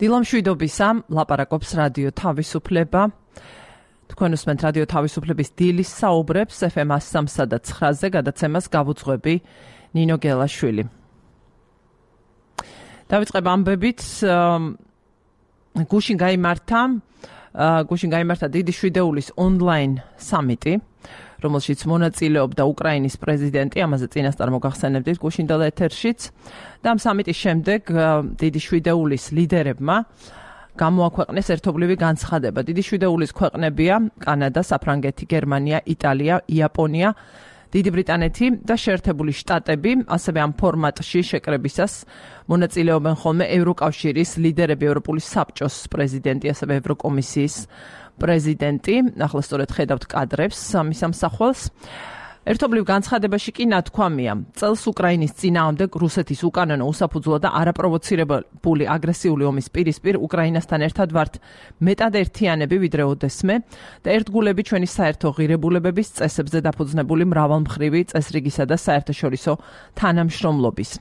დილამშვიდობისა, ლაპარაკობს რადიო თავისუფლება. თქვენ უსმენთ რადიო თავისუფლების დილის საუბრებს FM 103 და 9-ზე, გადაცემას გავუძღვები ნინო გელაშვილი. დავიწყებ ამბებით, გუშინ გაიმართა დიდი შვიდეულის ონლაინ სამიტი, რომელშიც მონაწილეობდა უკრაინის პრეზიდენტი, ამაზე წინასწარ მოგახსენებდით გუშინდელ ეთერშიც. და ამ სამიტის შემდეგ დიდი შვიდეულის ლიდერებმა გამოაქვეყნეს ერთობლივი განცხადება. დიდი შვიდეულის ქვეყნებია კანადა, საფრანგეთი, გერმანია, იტალია, იაპონია, დიდი ბრიტანეთი და შეერთებული შტატები. ასევე ამ ფორმატში შეკრებისას მონაწილეობენ ხოლმე ევროკავშირის ლიდერები, ევროპული საბჭოს პრეზიდენტი, ასევე ევროკომისიის პრეზიდენტი. ახლა სწორედ ხედავთ კადრებს ამის ამსახველს. ერთობლივ განცხადებაში კი ნათქვამია, წელს უკრაინის წინააღმდეგ რუსეთის უკანონო, უსაფუძვლო და არაპროვოცირებული აგრესიული ომის პირისპირ უკრაინასთან ერთად ვართ მეტად ერთიანები ვიდრე ოდესმე და ერთგულები ჩვენი საერთო ღირებულებების წესებზე დაფუძნებული მრავალმხრივი წესრიგისა და საერთაშორისო თანამშრომლობის.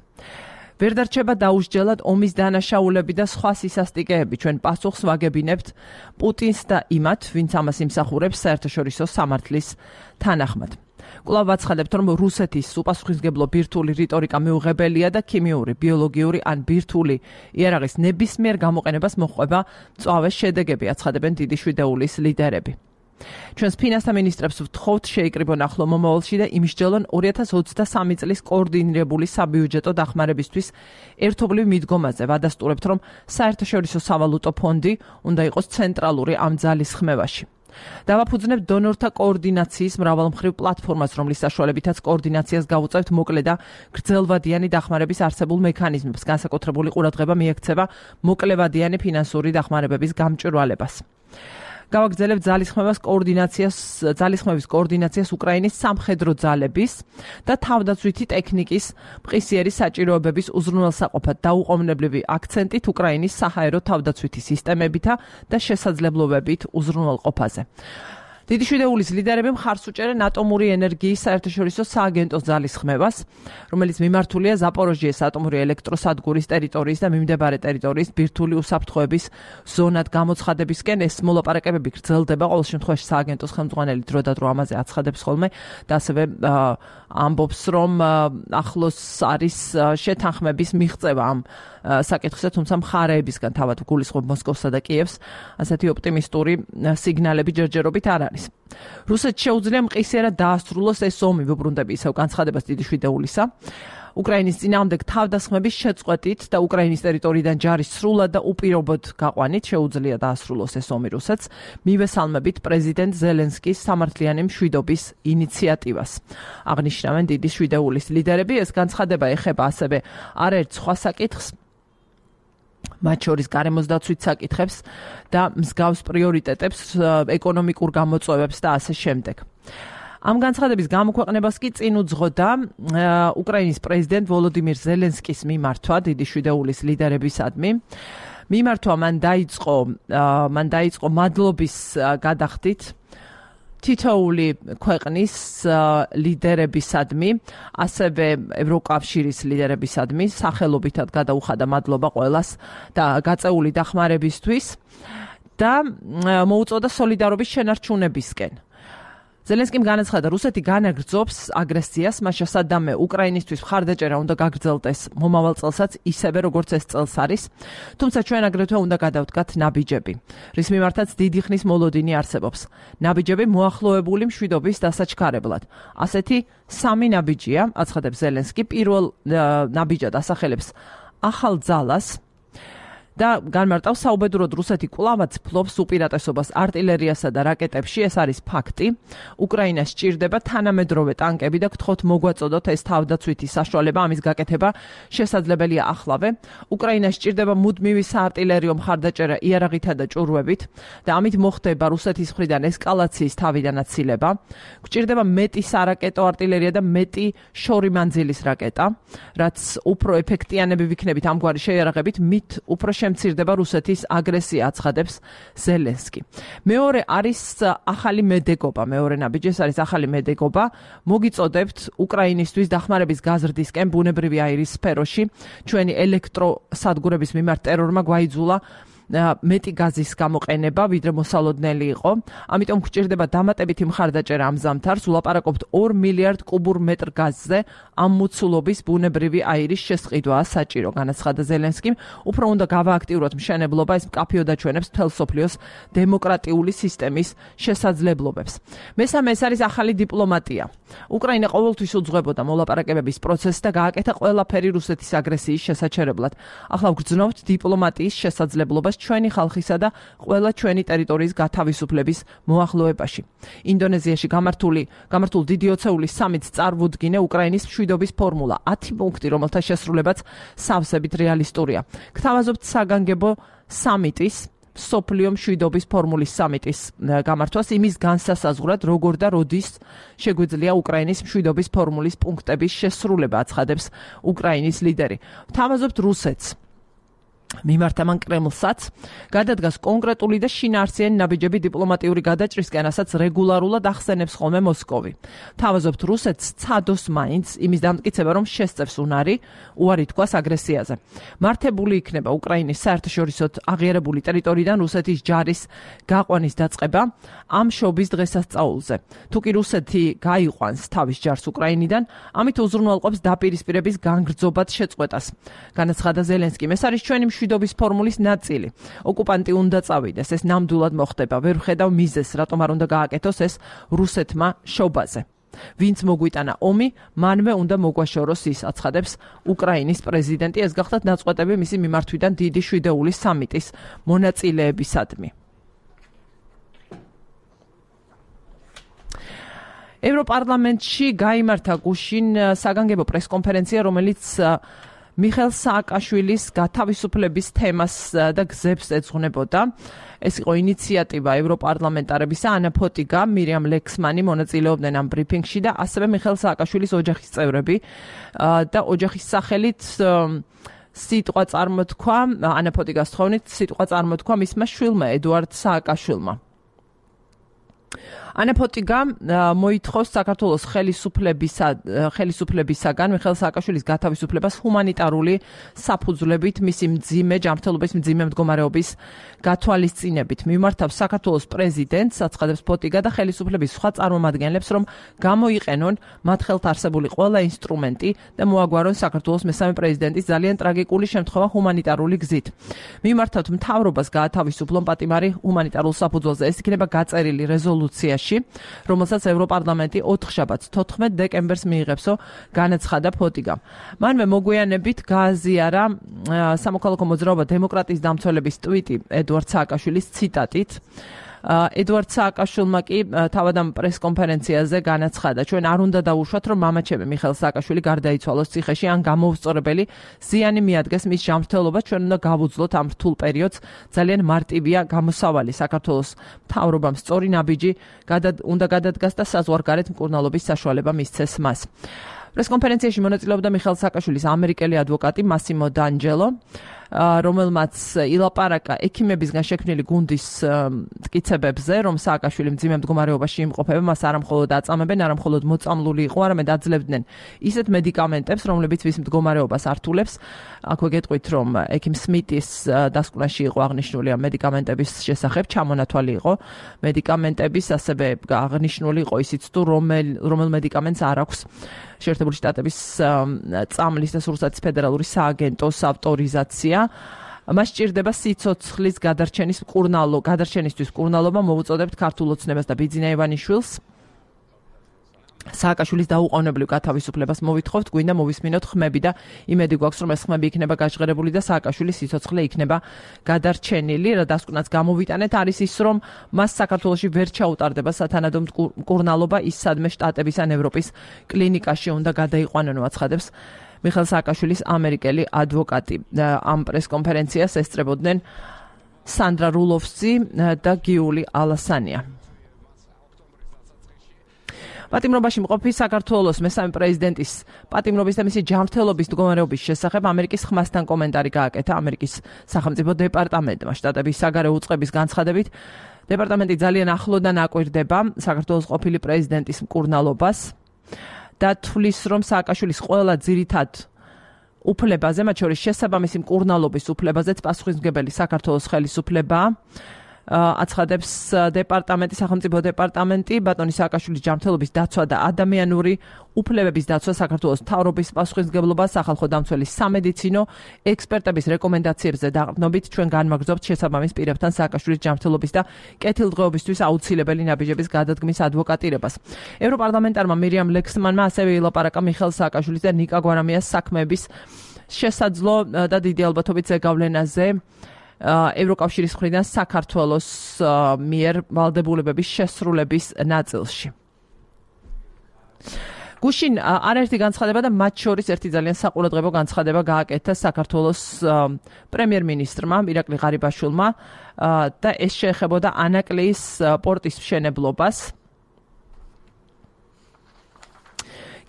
ვერ დარჩება დაუსჯელად ომის დანაშაულები და სხვა სისასტიკეები. ჩვენ პასუხს ვაგებინებთ პუტინს და იმათ, ვინც ამას იმსახურებს საერთაშორისო სამართლის თანახმად. კვლავ ვაცხადებთ, რომ რუსეთის უპასუხისმგებლო ბირთვული რიტორიკა მიუღებელია და ქიმიური, ბიოლოგიური ან ბირთვული იარაღის ნებისმიერ გამოყენებას მოჰყვება მწვავე შედეგები, აცხადებენ დიდი შვიდეულის ლიდერები. ჩვენს ფინანსთა მინისტრებს ვთხოვთ შეიკრიბონ ახლო მომავალში და იმსჯელონ 2023 წლის კოორდინირებული საბიუჯეტო დახმარებისთვის ერთობლივ მიდგომაზე. ვადასტურებთ, რომ საერთაშორისო სავალუტო ფონდი უნდა იყოს ცენტრალური ამ ძალისხმევაში. დავაფუძნებთ დონორთა კოორდინაციის მრავალმხრივ პლატფორმას, რომლის საშუალებითაც კოორდინაციას გავუწევთ მოკლე და გრძელვადიანი დახმარების არსებულ მექანიზმებს. განსაკუთრებული ყურადღება მიექცევა მოკლევადიანი ფინანსური დახმარებების გამჭვირვალებას. გავაგრძელებთ ძალისხმევის კოორდინაციას უკრაინის სამხედრო ძალების და თავდაცვითი ტექნიკის მყისიერი საჭიროებების უზრუნველსაყოფად დაუყოვნებლივი აქცენტით უკრაინის საჰაერო თავდაცვითი სისტემებითა და შესაძლებლობებით უზრუნველყოფაზე. დიდი შვიდეულის ლიდერები მხარს უჭერენ ატომური ენერგიის საერთაშორისო სააგენტოს ძალისხმევას, რომელიც მიმართულია ზაპოროჟიეს ატომური ელექტროსადგურის ტერიტორიის და მიმდებარე ტერიტორიის ბირთვული უსაფრთხოების ზონად გამოცხადებისკენ. ეს მოლაპარაკებები გრძელდება, ყოველ შემთხვევაში სააგენტოს ხელმძღვანელი დრო და დრო ამაზე აცხადებს ხოლმე და ასევე ამბობს, რომ ახლოს არის შეთანხმების მიღწევა ამ საკითხზე, თუმცა მხარეებისგან თავად გულისხმობ მოსკოვსა და კიევს, ასეთი ოპტიმისტური სიგნალები ჯერჯერობით არ არის. რუსეთს შეუძლია მყისიერად დაასრულოს ეს ომი, ვუბრუნდები ისევ განცხადებას დიდი შვიდეულისა. უკრაინის წინააღმდეგ თავდასხმების შეწყვეტით და უკრაინის ტერიტორიიდან ჯარის სრულად და უპირობოდ გაყვანით შეუძლია დაასრულოს ეს ომი რუსეთს. მივესალმებით პრეზიდენტ ზელენსკის სამართლიანი მშვიდობის ინიციატივას. აღნიშნავენ დიდი შვიდეულის ლიდერები. ეს განცხადება ეხება ასევე არაერთ სხვა საკითხს, მათ შორის გარემოს დაცვით საკითხებს და მსგავს პრიორიტეტებს, ეკონომიკურ გამოწვევებს და ასე შემდეგ. ამ განცხადების გამოქვეყნებას კი წინ უძღოდა უკრაინის პრეზიდენტ ვოლოდიმირ ზელენსკის მიმართვა დიდი შვიდეულის ლიდერებისადმი. მიმართვა მან დაიწყო მადლობის გადახდით თითოეული ქვეყნის ლიდერებისადმი, ასევე ევროკავშირის ლიდერებისადმი, სახელობითად გადაუხადა მადლობა ყველას და გაწეული დახმარებისთვის და მოუწოდა სოლიდარობის შენარჩუნებისკენ. ზელენსკიმ განაცხადა, რუსეთი განაგრძობს აგრესიას, მას შესადამე უკრაინისთვის მხარდაჭერა უნდა გაგრძელდეს მომავალ წელსაც ისევე როგორც ეს წელს არის, თუმცა ჩვენ აგრეთვე უნდა გადავდგათ ნაბიჯები, რის მიმართაც დიდი ხნის მოლოდინი არსებობს. ნაბიჯები მოახლოებული მშვიდობის დასაჩქარებლად. ასეთი სამი ნაბიჯია, აცხადებს ზელენსკი. პირველ ნაბიჯად ასახელებს ახალ ძალას და განმარტავს საუბედუროდ რუსეთი კვლავაც ფლობს უპირატესობას артиლერიასა და რაკეტებში, ეს არის ფაქტი. უკრაინას სჭირდება თანამედროვე ტანკები და გთხოვთ მოგვაწოდოთ ეს თავდაცვითი საშუალება, ამის გაკეთება შესაძლებელია ახლავე. უკრაინას სჭირდება მუდმივი საარტილერიო მხარდაჭერა იარაღითა და ჭურვებით და ამით მოხდება რუსეთის მხრიდან ესკალაციის თავიდანაცილება. გჭირდება მეტი სარაკეტო არტილერია და მეტი შორი მანძილის რაკეტა, რაც უფრო ეფექტიანები ვიქნებით ამგვარი შეიარაღებით, მით უფრო შემცირდება რუსეთის აგრესია, აცხადებს ზელენსკი. მეორე არის ახალი მედეგობა, მეორე ნაბიჯი ეს არის ახალი მედეგობა. მოგიწოდებთ უკრაინისთვის დახმარების გაზრდისკენ ბუნებრივი აირის სფეროში. ჩვენი ელექტროსადგურების მიმართ ტერორმა გვაიძულა მეტი გაზის გამოყენება, ვიდრე მოსალოდნელი იყო. ამიტომ გვჭირდება დამატებითი მხარდაჭერა ამ ზამთარს. ვლაპარაკობთ 2 მილიარდ კუბურ მეტრ გაზზე. ამ მოცულობის ბუნებრივი აირის შესყიდვაა საჭირო, განაცხადა ზელენსკიმ. უფრო უნდა გავააქტიუროთ მშენებლობა, ეს მკაფიოდ აჩვენებს მთელ სოფლიოს დემოკრატიული სისტემის შესაძლებლობებს. მესამე, ეს არის ახალი დიპლომატია. უკრაინა ყოველთვის უძღვებოდა მოლაპარაკებების პროცესს და გააკეთა ყველაფერი რუსეთის აგრესიის შესაჩერებლად. ახლა ვგრძნობთ დიპლომატიის შესაძლებლობას ჩვენი ხალხისა და ყველა ჩვენი ტერიტორიის გათავისუფლების მოახლოებაში. ინდონეზიაში გამართულ დიდი ოცეულის სამიტს წარუდგინა უკრაინის მშვიდობის ფორმულა, 10 პუნქტი, რომელთა შესრულებაც სავსებით რეალისტურია. გთავაზობთ საგანგებო სამიტის სოფლიო მშვიდობის ფორმულის სამიტის გამართვას იმის განსასაზღვრად, როგორ და როდის შეგვიძლია უკრაინის მშვიდობის ფორმულის პუნქტების შესრულება, აცხადებს უკრაინის ლიდერი. ვთავაზობთ რუსეთს. მიმართა მან კრემლსაც გადადგას კონკრეტული და შინაარსიანი ნაბიჯები დიპლომატიური გადაჭრისკენ, რასაც რეგულარულად ახსენებს ხოლმე მოსკოვი. თავაზობთ რუსეთს ცადოს მაინც იმის დამტკიცება, რომ შესწევს უარი თქვას აგრესიაზე. მართებული იქნება უკრაინის საერთაშორისო აღიარებული ტერიტორიიდან რუსეთის ჯარის გაყვანის დაწყება ამ შობის დღესასწაულზე. თუკი რუსეთი გაიყვანს თავის ჯარს უკრაინიდან, ამით უზრუნველყოფს დაპირისპირების განგრძობად შეწყვეტას. განაცხადა ზელენსკიმ, ეს არის ჩვენი მშვიდობის ფორმულის ნაწილი. ოკუპანტი უნდა წავიდეს, ეს ნამდვილად მოხდება. ვერ ვხედავ მიზეზს, რატომ არ უნდა გააკეთოს ეს რუსეთმა შობაზე. ვინც მოგვიტანა ომი, მანვე უნდა მოგვაშოროს ის, აცხადებს უკრაინის პრეზიდენტი. ეს გახდათ ნაწყვეტები მისი მიმართვიდან დიდი შვიდეულის სამიტის მონაწილეებისადმი. ევროპარლამენტში გაიმართა გუშინ საგანგებო პრესკონფერენცია, რომელიც მიხეილ სააკაშვილის გათავისუფლების თემას და გზებს ეძღვნებოდა. ეს იყო ინიციატივა ევროპარლამენტარებისა, ანა ფოტიგა, მირიამ ლექსმანი მონაწილეობდნენ ამ ბრიფინგში და ასევე მიხეილ სააკაშვილის ოჯახის წევრები და ოჯახის სახელით სიტყვა წარმოთქვა, ანა ფოტიგას თხოვნით, სიტყვა წარმოთქვა მისმა შვილმა ედუარდ სააკაშვილმა. ანა ფოტიგა მოითხოვს საქართველოს ხელისუფლებისაგან მიხეილ სააკაშვილის გათავისუფლებას ჰუმანიტარული საფუძვლებით, მისი მძიმე ჯანმრთელობის მძიმე მდგომარეობის გათვალისწინებით. მიმართავს საქართველოს პრეზიდენტს, აცხადებს ფოტიგა და ხელისუფლების სხვა წარმომადგენლებს, რომ გამოიყენონ მათ ხელთ არსებული ყველა ინსტრუმენტი და მოაგვარონ საქართველოს მესამე პრეზიდენტის ძალიან ტრაგიკული შემთხვევა ჰუმანიტარული გზით. მიმართავთ მთავრობას გაათავისუფლონ პატიმარი ჰუმანიტარულ საფუძველზე. ეს იქნება გაწერილი რეზოლუციაში, რომელსაც ევროპარლამენტი 4 შაბათს 14 დეკემბერს მიიღებსო, განაცხადა ფოტიგამ. მანვე მოგვიანებით გააზიარა სამოქალაქო მოძრაობა დემოკრატიის დამცველების ტვიტი ედუარდ სააკაშვილის ციტატით. ედუარდ სააკაშვილმა კი თავად ამ პრესკონფერენციაზე განაცხადა, ჩვენ არ უნდა დავუშვათ, რომ მამაჩემი მიხეილ სააკაშვილი გარდაიცვალოს ციხეში, ან გამოუსწორებელი ზიანი მიადგეს მის ჯანმრთელობას, ჩვენ უნდა გავუძლოთ ამ რთულ პერიოდს. ძალიან მარტივია გამოსავალი საქართველოს მთავრობამ სწორი ნაბიჯი უნდა გადადგას და საზღვარგარეთ მკურნალობის საშუალება მისცეს მას. პრესკონფერენციაში მონაწილეობდა მიხეილ სააკაშვილის ამერიკელი ადვოკატი მასიმო დანჯელო, რომელმაც ილაპარაკა ექიმებისგან შექმნილი გუნდის მტკიცებებზე, რომ სააკაშვილი მძიმე მდგომარეობაში იმყოფება, მას არამხოლოდ აწამებენ, არამხოლოდ მოწამლული იყო, არამედ აძლევდნენ ისეთ მედიკამენტებს, რომლებიც ვის მდგომარეობას ართულებს. აქვე გეტყვით, რომ ექიმ სმიტის დასკვნაში იყო აღნიშნული ამ მედიკამენტების შესახებ, ჩამონათვალი იყო მედიკამენტების, ასევე აღნიშნული იყო ისიც თუ რომელ მედიკამენტს არ აქვს შეერთებული შტატების წამლის და სურსათის ფედერალური სააგენტოს ავტორიზაცია. მას სჭირდება სიცოცხლის გადარჩენისთვის მკურნალობა, მოვუწოდებთ ქართულ ოცნებას და ბიძინა ივანიშვილს. სააკაშვილის დაუყოვნებლივ გათავისუფლებას მოვითხოვთ, გვინდა მოვისმინოთ ხმები და იმედი გვაქვს, რომ ეს ხმები იქნება გაჟღერებული და სააკაშვილის სიცოცხლე იქნება გადარჩენილი. რა დასკვნაც გამოვიტანეთ არის ის, რომ მას საქართველოში ვერ ჩაუტარდება სათანადო მკურნალობა, ის სადმე შტატების ან ევროპის კლინიკაში უნდა გადაიყვანონ, აცხადებს მიხეილ სააკაშვილის ამერიკელი ადვოკატი. ამ პრესკონფერენციას ესწრებოდნენ სანდრა რულოვსი და გიული ალასანია. პატიმრობაში მყოფი საქართველოს მესამე პრეზიდენტის პატიმრობის და მისი ჯანმრთელობის მდგომარეობის შესახებ ამერიკის ხმასთან კომენტარი გააკეთა ამერიკის სახელმწიფო დეპარტამენტმა. შტატების საგარეო უწყების განცხადებით, დეპარტამენტი ძალიან ახლოდან აკვირდება საქართველოს ყოფილი პრეზიდენტის მკურნალობას და თვლის, რომ სააკაშვილის ყველა ძირითად უფლებაზე, მათ შორის შესაბამისი მკურნალობის უფლებაზეც პასუხისმგებელი საქართველოს ხელისუფლებაა. აცხადებს დეპარტამენტი, სახელმწიფო დეპარტამენტი, ბატონი სააკაშვილის ჯანმრთელობის დაცვა და ადამიანური უფლებების დაცვა საქართველოს მთავრობის პასუხისმგებლობა სახალხო დამცველის სამედიცინო ექსპერტების რეკომენდაციებზე დაყრდნობით ჩვენ განმაგრძობთ შესაბამის პირებთან სააკაშვილის ჯანმრთელობის და კეთილდღეობისთვის აუცილებელი ნაბიჯების გადადგმის ადვოკატირებას. ევროპარლამენტარმა მირიამ ლექსმანმა ასევე ილაპარაკა მიხეილ სააკაშვილის და ნიკა გვარამიას საქმეების შესაძლო და დიდი ალბათობით ზეგავლენაზე ევროკავშირის მხრიდან საქართველოს მიერ ვალდებულებების შესრულების ნაწილში. გუშინ არაერთი განცხადება და მათ შორის ერთი ძალიან საყურადღებო განცხადება გააკეთა საქართველოს პრემიერ-მინისტრმა ირაკლი ღარიბაშვილმა და ეს შეეხებოდა ანაკლიის პორტის მშენებლობას.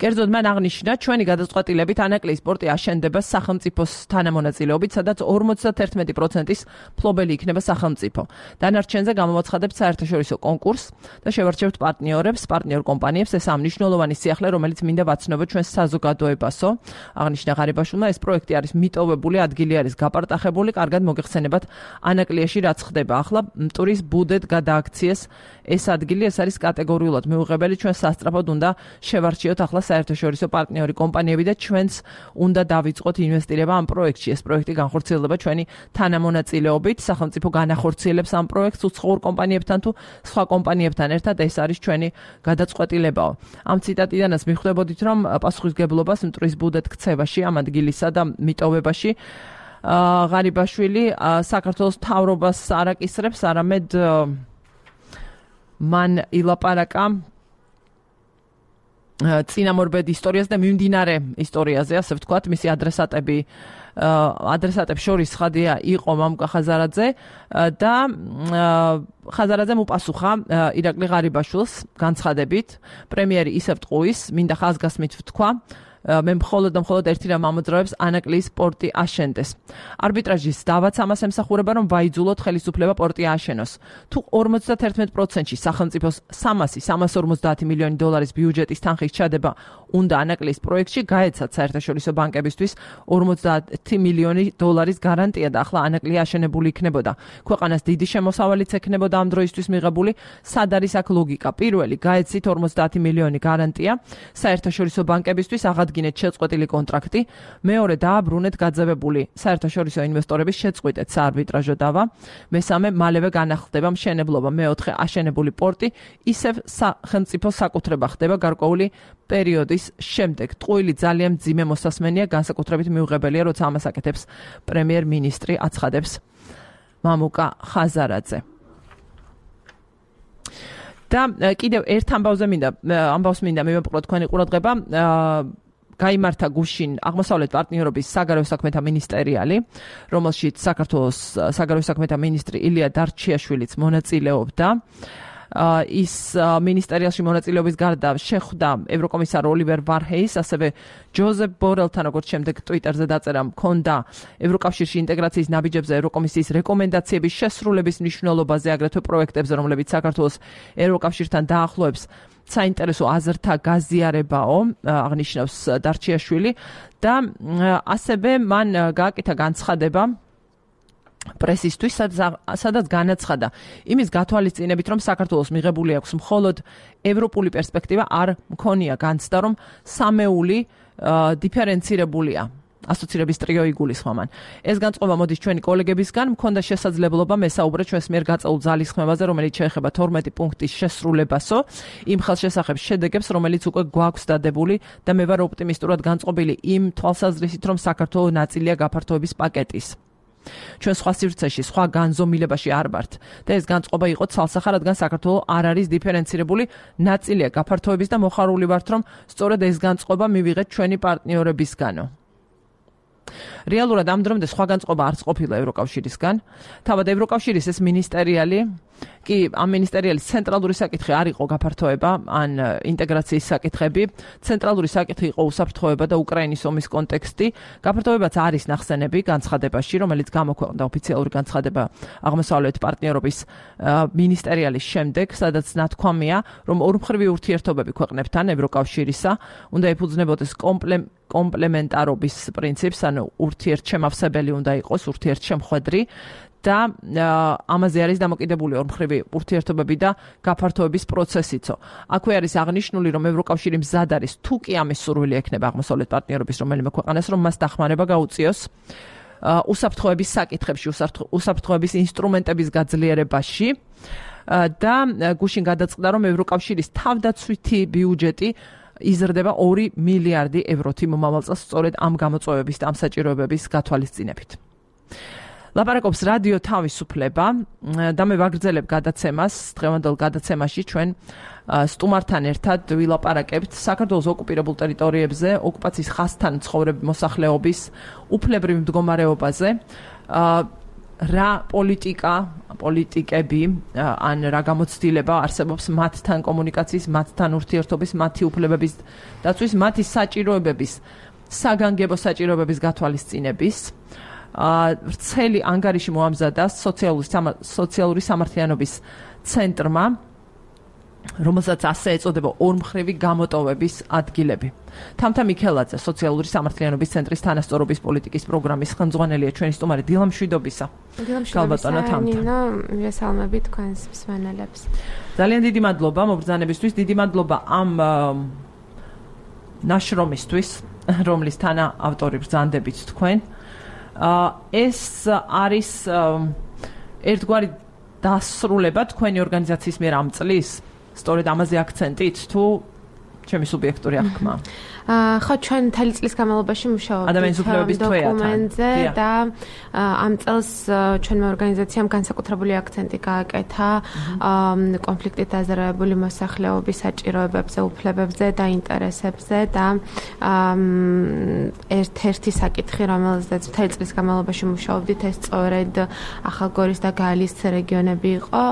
კერძოდ მან აღნიშნა, ჩვენი გადაწყვეტილებით ანაკლიის პორტი აშენდება სახელმწიფოს თანამონაწილეობით, სადაც 51%-ის მფლობელი იქნება სახელმწიფო. დანარჩენზე გამოვაცხადებთ საერთაშორისო კონკურსს და შევარჩევთ პარტნიორ კომპანიებს. ეს ამ მნიშვნელოვანი სიახლე, რომელიც მინდა ვაცნობოთ ჩვენს საზოგადოებასო. აღნიშნა ღარიბაშვილმა, ეს პროექტი არის მიტოვებული, ადგილი არის გაპარტახებული, კარგად მოგეხსენებათ ანაკლიაში რაც ხდება. ახლა მტვრის ბუდეთ გადააქციეს ეს ადგილი, ეს არის კატეგორიულად მიუღებელი, ჩვენ სასწრაფოდ უნდა შევარჩიოთ ახლა საერთაშორისო პარტნიორი კომპანიები და ჩვენს უნდა დავიწყოთ ინვესტირება ამ პროექტში. ეს პროექტი განხორციელდება ჩვენი თანამონაწილეობით, სახელმწიფო განახორციელებს ამ პროექტს უცხოურ კომპანიებთან თუ სხვა კომპანიებთან ერთად, ეს არის ჩვენი გადაწყვეტილებაო. ამ ციტატიდანაც მიხვდებოდით, რომ პასუხისმგებლობას მტვრის ბუდეთ ქცევაში, ამ ადგილისა და მიტოვებაში ღარიბაშვილი საქართველოს მთავრობას არ აკისრებს, არამედ მან ილაპარაკა წინამორბედ ისტორიას და მიმდინარე ისტორიაზე, ასე ვთქვათ, მისი ადრესატებს შორის ხადია იყო მამუკა ხაზარაძე და ხაზარაძემ უპასუხა ირაკლი ღარიბაშვილს განცხადებით, პრემიერი ისევ ტყუის, მინდა ხაზგასმით ვთქვა, მე მხოლოდ ერთი რამ ამოძრავებს ანაკლიის პორტი აშენდეს. არბიტრაჟის დავაც ამას ემსახურება, რომ ვაიძულოთ ხელისუფლება პორტი აშენოს. თუ 51%-ში სახელმწიფოს 350 მილიონი დოლარის ბიუჯეტის თანხის ჩადება უნდა ანაკლიის პროექტში, გაეცათ საერთაშორისო ბანკებისთვის 50 მილიონი დოლარის გარანტია და ახლა ანაკლია აშენებული იქნებოდა. ქვეყანას დიდი შემოსავალიც ექნებოდა ამ დროისთვის მიღებული. სად არის აქ ლოგიკა? პირველი, გაეცით 50 მილიონი გარანტია საერთაშორისო ბანკებისთვის აღადგინეთ შეწყვეტილი კონტრაქტი, მეორე დააბრუნეთ გაძევებული საერთაშორისო ინვესტორების შეწყვეტეთ საარბიტრაჟო დავა, მესამე მალევე განახლდება მშენებლობა, მეოთხე აშენებული პორტი ისევ სახელმწიფო საკუთრება ხდება გარკვეული პერიოდის შემდეგ. ტყუილი ძალიან მძიმე მოსასმენია, განსაკუთრებით მიუღებელია, როცა ამას აკეთებს პრემიერ-მინისტრი, აცხადებს მამუკა ხაზარაძე. და კიდევ ერთ ამბავს მინდა მივეპყრო თქვენი ყურადღება. გაიმართა გუშინ აღმოსავლეთ პარტნიორობის საგარეო საქმეთა მინისტერიალი, რომელშიც საქართველოს საგარეო საქმეთა მინისტრი ილია დარჩიაშვილიც მონაწილეობდა. ის მინისტერიალში მონაწილეობის გარდა შეხვდა ევროკომისარ ოლივერ ვარჰეის, ასევე ჯოზეფ ბორელთან, როგორც შემდეგ ტვიტერზე დაწერა, მქონდა ევროკავშირში ინტეგრაციის ნაბიჯებზე ევროკომისიის რეკომენდაციების შესრულების მნიშვნელობაზე, აგრეთვე პროექტებზე, რომლებიც საქართველოს ევროკავშირთან დაახლოებს საინტერესო აზრთა გაზიარებაო, აღნიშნავს დარჩიაშვილი და ასევე მან გააკეთა განცხადება პრესისთვის, სადაც განაცხადა იმის გათვალისწინებით, რომ საქართველოს მიღებული აქვს მხოლოდ ევროპული პერსპექტივა, არ მქონია განცდა, რომ სამეული დიფერენცირებულია. ასოცირების ტრიო იგულისხმა მან. ეს განწყობა მოდის ჩვენი კოლეგებისგან, მქონდა შესაძლებლობა მესაუბრე ჩვენს მიერ გაწეულ ძალისხმევაზე, რომელიც შეეხება 12 პუნქტის შესრულებასო, იმ ხელშესახებ შედეგებს, რომელიც უკვე გვაქვს დადებული და მე ვარ ოპტიმისტურად განწყობილი იმ თვალსაზრისით, რომ საქართველოს ნაწილია გაფართოების პაკეტის. ჩვენ სხვა სივრცეში, სხვა განზომილებაში არ ვართ და ეს განწყობა იყო ცალსახა, რადგან საქართველოს არ არის დიფერენცირებული ნაწილია გაფართოების და მოხარული ვართ, რომ სწორედ ეს განწყობა მივიღეთ ჩვენი პარტნიორებისგანო. რეალურად ამ დრომდე სხვა განწყობა არც ყოფილა ევროკავშირისგან. თავად ევროკავშირის ეს მინისტერიალი კი ამ მინისტერიალის ცენტრალური საკითხი არ იყო გაფართოება ან ინტეგრაციის საკითხები. ცენტრალური საკითხი იყო უსაფრთხოება და უკრაინის ომის კონტექსტი. გაფართოებაც არის ნახსენები განცხადებაში, რომელიც გამოქვეყნდა ოფიციალური განცხადება აღმოსავლეთ პარტნიორობის მინისტერიალის შემდეგ, სადაც ნათქვამია, რომ ორმხრივი ურთიერთობები ქვეყნებთან ევროკავშირისა უნდა ეფუძნებოდეს კომპლემენტარობის პრინციპს, ანუ ურთიერთშემავსებელი უნდა იყოს, ურთიერთშემხვედრი და ამაზე არის დამოკიდებული ორმხრივი ურთიერთობები და გაფართოების პროცესიცო. აქვე არის აღნიშნული, რომ ევროკავშირი მზად არის თუ კი ამის სურვილი ექნება აღმოსავლეთ პარტნიორობის რომელიმე ქვეყანას, რომ მას დახმარება გაუწიოს უსაფრთხოების საკითხებში, უსაფრთხოების ინსტრუმენტების გაძლიერებაში და გუშინ გადაწყდა, რომ ევროკავშირის თავდაცვითი ბიუჯეტი იზრდება 2 მილიარდი ევროთი მომავალ წელს სწორედ ამ გამოწვევების და ამ საჭიროებების გათვალისწინებით. ლაპარაკობს რადიო თავისუფლება და მე ვაგრძელებ გადაცემას, დღევანდელ გადაცემაში ჩვენ სტუმართან ერთად ვილაპარაკებთ საქართველოს ოკუპირებულ ტერიტორიებზე, ოკუპაციის ხაზთან ცხოვრების მოსახლეობის უფლებრივ მდგომარეობაზე, რა პოლიტიკები ან რა გამოცდილება არსებობს მათთან კომუნიკაციის, მათთან ურთიერთობის, მათი უფლებების დაცვის, მათი საჭიროებების, საგანგებო საჭიროებების გათვალისწინების. ვრცელი ანგარიში მოამზადა სოციალური სამართლიანობის ცენტრმა, რომელსაც ასე ეწოდება ორმხრივი გამოტოვების ადგილები. თამთა მიქელაძე, სოციალური სამართლიანობის ცენტრის თანასწორობის პოლიტიკის პროგრამის ხელმძღვანელია, ჩვენი სტუმარი დილა მშვიდობისა. გალბატონო თამთა. მივესალმები თქვენს მსმენელებს. ძალიან დიდი მადლობა მობრძანებისთვის, დიდი მადლობა ამ ნაშრომისთვის, რომლის თანა ავტორი ბრძანდებით თქვენ. ეს არის ერთგვარი დასრულება თქვენი ორგანიზაციის მიერ ამ წლის, სწორედ ამაზე აქცენტით თუ ჩემი სუბიექტური აღქმა? ხო, ჩვენ მთელი წლის განმავლობაში მუშაობთ დოკუმენტზე და ამ წელს ჩვენმა ორგანიზაციამ განსაკუთრებული აქცენტი გააკეთა კონფლიქტით დაზარალებული მოსახლეობის საჭიროებებზე, უფლებებზე და ინტერესებზე და ერთ-ერთი საკითხი, რომელზეც მთელი წლის განმავლობაში მუშაობდით, ეს სწორედ ახალგორის და გალის რეგიონები იყო,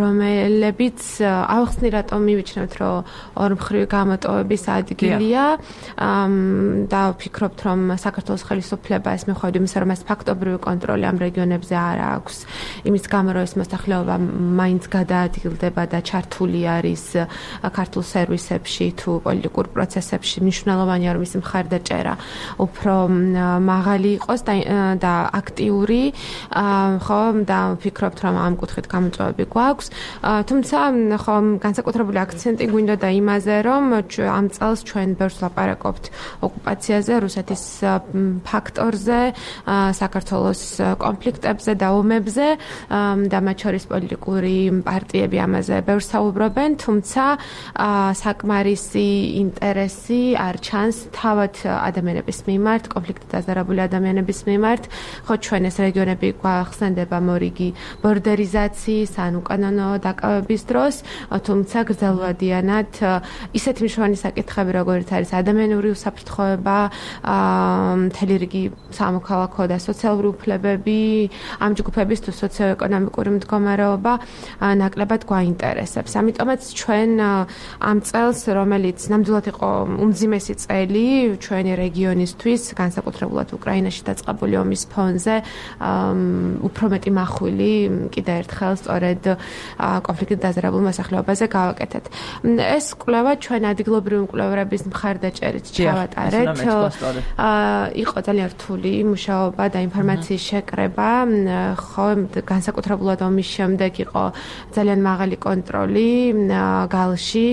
რომლებიც ავხსნი რატომ მივიჩნევთ, რომ ორმხრივი გამოტოვების ადგილია. და ვფიქრობთ, რომ საქართველოს ხელისუფლება ეს მიუხედავად იმისა, რომ ეს ფაქტობრივი კონტროლი ამ რეგიონებზე არ აქვს, იმის გამო, რომ ეს მოსახლეობა მაინც გადაადგილდება და ჩართული არის ქართულ სერვისებში თუ პოლიტიკურ პროცესებში, მნიშვნელოვანია, რომ მისი მხარდაჭერა უფრო მაღალი იყოს და აქტიური, ხო, და ვფიქრობთ, რომ ამ კუთხით გამოწვევები გვაქვს. თუმცა, ხო, განსაკუთრებული აქცენტი გვინდოდა იმაზე, რომ ამ წელს ჩვენ ბევრს ლაპარაკობთ ოკუპაციაზე, რუსეთის ფაქტორზე, საქართველოს კონფლიქტებზე და ომებზე და მათ შორის პოლიტიკური პარტიები ამაზე ბევრს საუბრობენ, თუმცა საკმარისი ინტერესი არ ჩანს თავად ადამიანების მიმართ, კონფლიქტით დაზარალებული ადამიანების მიმართ. ხო, ჩვენ ეს რეგიონები გვახსენდება მორიგი ბორდერიზაციის ან უკანონო დაკავების დროს, თუმცა გრძელვადიანად ისეთი მნიშვნელოვანი საკითხები, როგორც არის ადამიანური უსაფრთხოება, მთელი რიგი სამოქალაქო და სოციალური უფლებები, ამ ჯგუფების თუ სოციო-ეკონომიკური მდგომარეობა ნაკლებად გვაინტერესებს. ამიტომაც ჩვენ ამ წელს, რომელიც ნამდვილად იყო უმძიმესი წელი ჩვენი რეგიონისთვის, განსაკუთრებულად უკრაინაში დაწყებული ომის ფონზე, უფრო მეტი მახვილი კიდევ ერთხელ სწორედ კონფლიქტით დაზარალებულ მოსახლეობაზე გავაკეთეთ. ეს კვლევა ჩვენ ადგილობრივი მკვლევრების მხარდაჭერით ჩავატარეთ. იყო ძალიან რთული მუშაობა და ინფორმაციის შეკრება, ხო, განსაკუთრებულად ომის შემდეგ იყო ძალიან მაღალი კონტროლი გალში,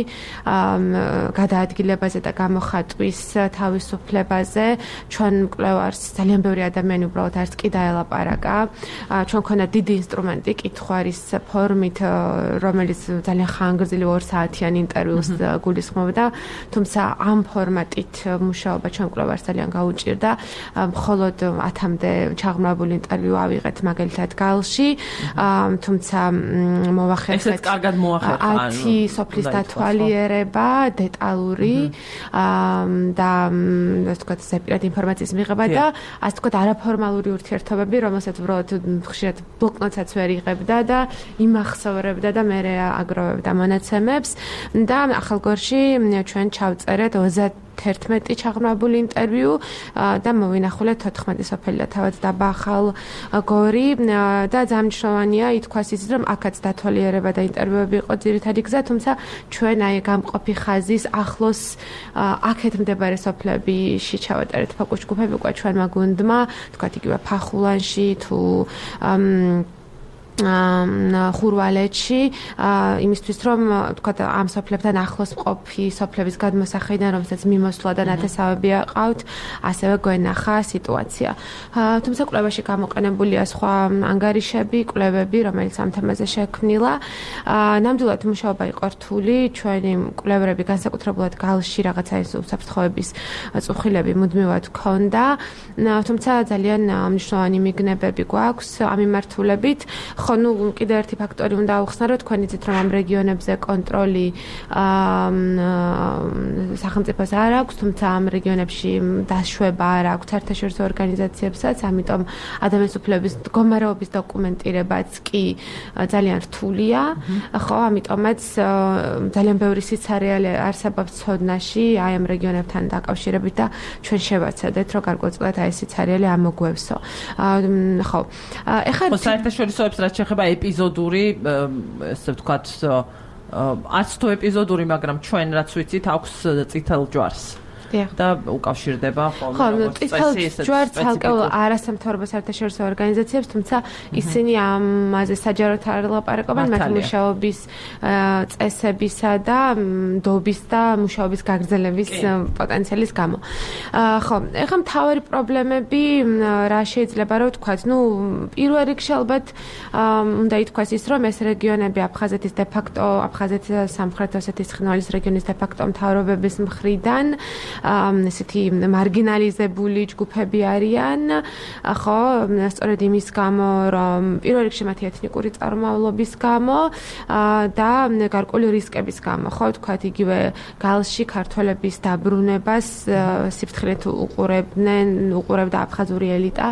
გადაადგილებაზე და გამოხატვის თავისუფლებაზე. ჩვენ მკვლევარს ძალიან ბევრი ადამიანი უბრალოდ არც კი დაელაპარაკა. ჩვენ ქონდა დიდი ინსტრუმენტი კითხვის ფორმით, რომელიც ძალიან ხანგრძლივ 2 საათიან ინტერვიუს გულისხმობდა. და თუმცა ამ ფორმატით მუშაობა ჩვენ კვლევარს ძალიან გაუჭირდა. მხოლოდ 10-მდე ჩაღრმავებული ინტერვიუ ავიღეთ მაგალითად გალში, თუმცა მოვახერხეთ ესეც კარგად მოახერხა 10 სოფლის დათვალიერება, დეტალური და ასე ვთქვათ, სეპირად ინფორმაციის მიღება და ასე ვთქვათ, არაფორმალური ურთიერთობები, რომელსაც უბრალოდ ხშირად ბლოკნოტსაც ვერ იღებდა და იმახსოვრებდა და მერე აგროვებდა მონაცემებს და ახალგორში ჩვენ ჩავწერეთ 31 ჩაღრმავებული ინტერვიუ და მოვინახულეთ 14 სოფელი და თავად დაბა ახალგორი და ძალიან მნიშვნელოვანია ითქვას ის რომ აქაც დათვალიერება და ინტერვიუები იყო ძირითადი გზა, თუმცა ჩვენ აი გამყოფი ხაზის ახლოს აქეთ მდებარე სოფლებიში ჩავატარეთ ფოკუს ჯგუფები უკვე ჩვენმა გუნდმა, თქვათ იგივე ფახულანში თუ ხურვალეთში იმისთვის რომ თქვა ამ სოფლებთან ახლოს მყოფი სოფლების გადმოსახედიდან რომელსაც მიმოსვლა და ნათესავები აყავთ ასევე გვენახა სიტუაცია. თუმცა კვლევაში გამოყენებულია სხვა ანგარიშები, კვლევები, რომელიც ამ თემაზე შექმნილა. ნამდვილად მუშაობა იყო რთული, ჩვენი კვლევრები განსაკუთრებულად გალში რაღაცა ის უსაფრთხოების წუხილები მუდმივად ჰქონდა, თუმცა ძალიან მნიშვნელოვანი მიგნებები გვაქვს ამ მიმართულებით. ხო, ნუ კიდევ ერთი ფაქტორი უნდა აუხსნა, რომ თქვენ იცით, რომ ამ რეგიონებზე კონტროლი სახელმწიფოს არ აქვს, თუმცა ამ რეგიონებში დაშვება არ აქვს საერთაშორისო ორგანიზაციებსაც, ამიტომ ადამიანის უფლებების მდგომარეობის დოკუმენტირებაც კი ძალიან რთულია. ხო, ამიტომაც ძალიან ბევრი სიცარიალე არსებობს ცოდნაში აი ამ რეგიონებთან დაკავშირებით და ჩვენ შევაცადეთ, რომ გარკვეულწილად აი ეს სიცარიალე ამოგვევსო. ხო. ეხლა საერთაშორისოებს რაც შეეხება ეპიზოდური, ესე ვთქვათ, არც თუ ეპიზოდური, მაგრამ ჩვენ რაც ვიცით, აქვს წითელ ჯვარს. და უკავშირდება ხოლმე წითელ ჯვარს ალკეულ არასამთავრობო საერთაშორისო ორგანიზაციებს, თუმცა ისინი ამაზე საჯაროდ არ ლაპარაკობენ მათი მუშაობის წესებისა და დობის და მუშაობის გაგრძელების პოტენციალის გამო. ხო, ეხლა მთავარი პრობლემები რა შეიძლება რომ ვთქვათ, ნუ პირველ რიგში ალბათ უნდა ითქვას ის, რომ ეს რეგიონები აფხაზეთის დე-ფაქტო, აფხაზეთის სამხრეთ ოსეთის ცხინვალის რეგიონის დე-ფაქტო მთავრობების მხრიდან ესეთი მარგინალიზებული ჯგუფები არიან, ხო, სწორედ იმის გამო, რომ პირველ რიგში მათი ეთნიკური წარმომავლობის გამო და გარკვეული რისკების გამო, ხო, თქვათ იგივე გალში ქართველების დაბრუნებას სიფრთხილედ უყურებდა აფხაზური ელიტა,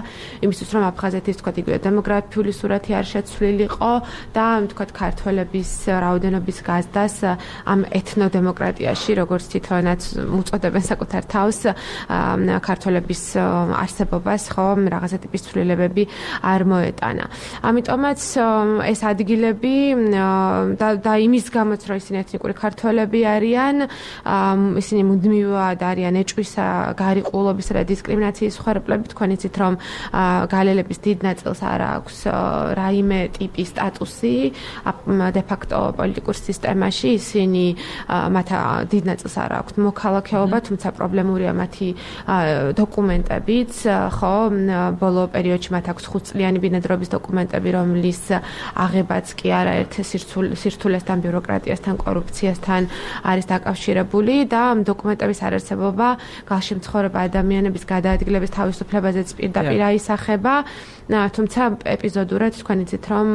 იმისთვის რომ აფხაზეთის თქვათ იგივე დემოგრაფიული სურათი არ შეცვლილიყო და თქვათ ქართველების რაოდენობის გაზდას ამ ეთნოდემოკრატიაში, როგორც თვითონაც უწოდებენ საკუთარ თავს ქართველების არსებობას, ხო, რაღაცა ტიპის ცვლილებები არ მოეტანა. ამიტომაც ეს ადგილები და იმის გამოც რომ ისინი ეთნიკური ქართველები არიან, ისინი მუდმივად არიან ეჭვისა, გარიყულობისა და დისკრიმინაციის მხარეები. თქვენ იცით, რომ გალელების დიდ ნაწილს არ აქვს რაიმე ტიპის სტატუსი დე-ფაქტო პოლიტიკურ სისტემაში, ისინი მათ დიდ ნაწილს არ აქვს მოქალაქეობა, თუმცა პრობლემურია მათი დოკუმენტებიც, ხო, ბოლო პერიოდში მათ აქვს 5 წლიანი ბინადრობის დოკუმენტები, რომლის აღებაც კი არაერთ სირთულესთან, ბიუროკრატიასთან, კორუფციასთან არის დაკავშირებული და დოკუმენტების არარსებობა გალში მცხოვრები ადამიანების გადაადგილების თავისუფლებაზეც პირდაპირ აისახება. თუმცა ეპიზოდურად თქვენ იცით, რომ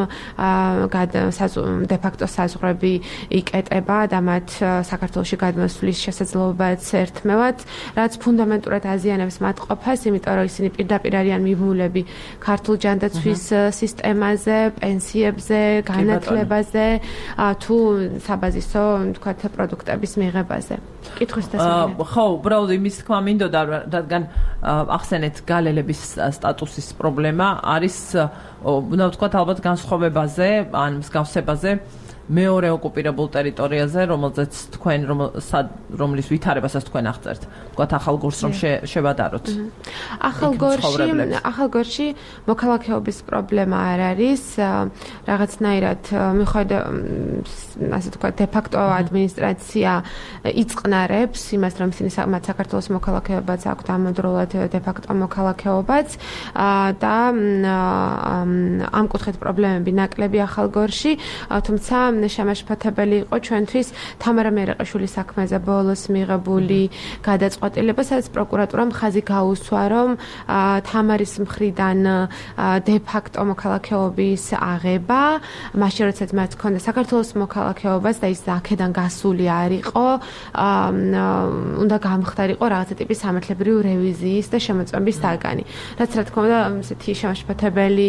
დე-ფაქტო საზღვრები იკეტება და მათ საქართველოში გადმოსვლის შესაძლებლობაც ერთმევად, რაც ფუნდამენტურად აზიანებს მათ ყოფას, იმიტომ რომ ისინი პირდაპირ არიან მიბმულები ქართულ ჯანდაცვის სისტემაზე, პენსიებზე, განათლებაზე, თუ საბაზისო, თქვათ, პროდუქტების მიღებაზე. კითხვის დასაგებად. ხო, უბრალოდ იმის თქმა მინდოდა, რადგან ახსენეთ გალელების სტატუსის პრობლემა არის, უნდა ვთქვათ, ალბათ განსხვავებაზე, ან მსგავსებაზე მეორე ოკუპირებულ ტერიტორიაზე, რომელზეც თქვენ რომლის ვითარებასაც თქვენ აღწერთ. ვთქვათ, ახალგორს რომ შევადაროთ. ახალგორში მოქალაქეობის პრობლემა არ არის, რაღაცნაირად მიხედა, ასე ვთქვათ, დე-ფაქტო ადმინისტრაცია იწყნარებს იმას, რომ ისინი საქართველოს მოქალაქეობაც აქვთ, ამავდროულად დე-ფაქტო მოქალაქეობაც და ამ კუთხით პრობლემები ნაკლები ახალგორში, თუმცა შემაშფოთებელი იყო ჩვენთვის თამარა მერაყიშვილის საქმეზე ბოლოს მიღებული გადაწყვეტილება, სადაც პროკურატურამ ხაზი გაუსვა, რომ თამარის მხრიდან დე ფაქტო მოქალაქეობის აღება, მაშინ როდესაც მათ ჰქონდა საქართველოს მოქალაქეობაც და ის აქედან გასული არ იყო, უნდა გამხდარიყო რაღაცა ტიპის სამართლებრივი რევიზიის და შემოწმების საგანი. რაც რა თქმა უნდა, ესეთი შემაშფოთებელი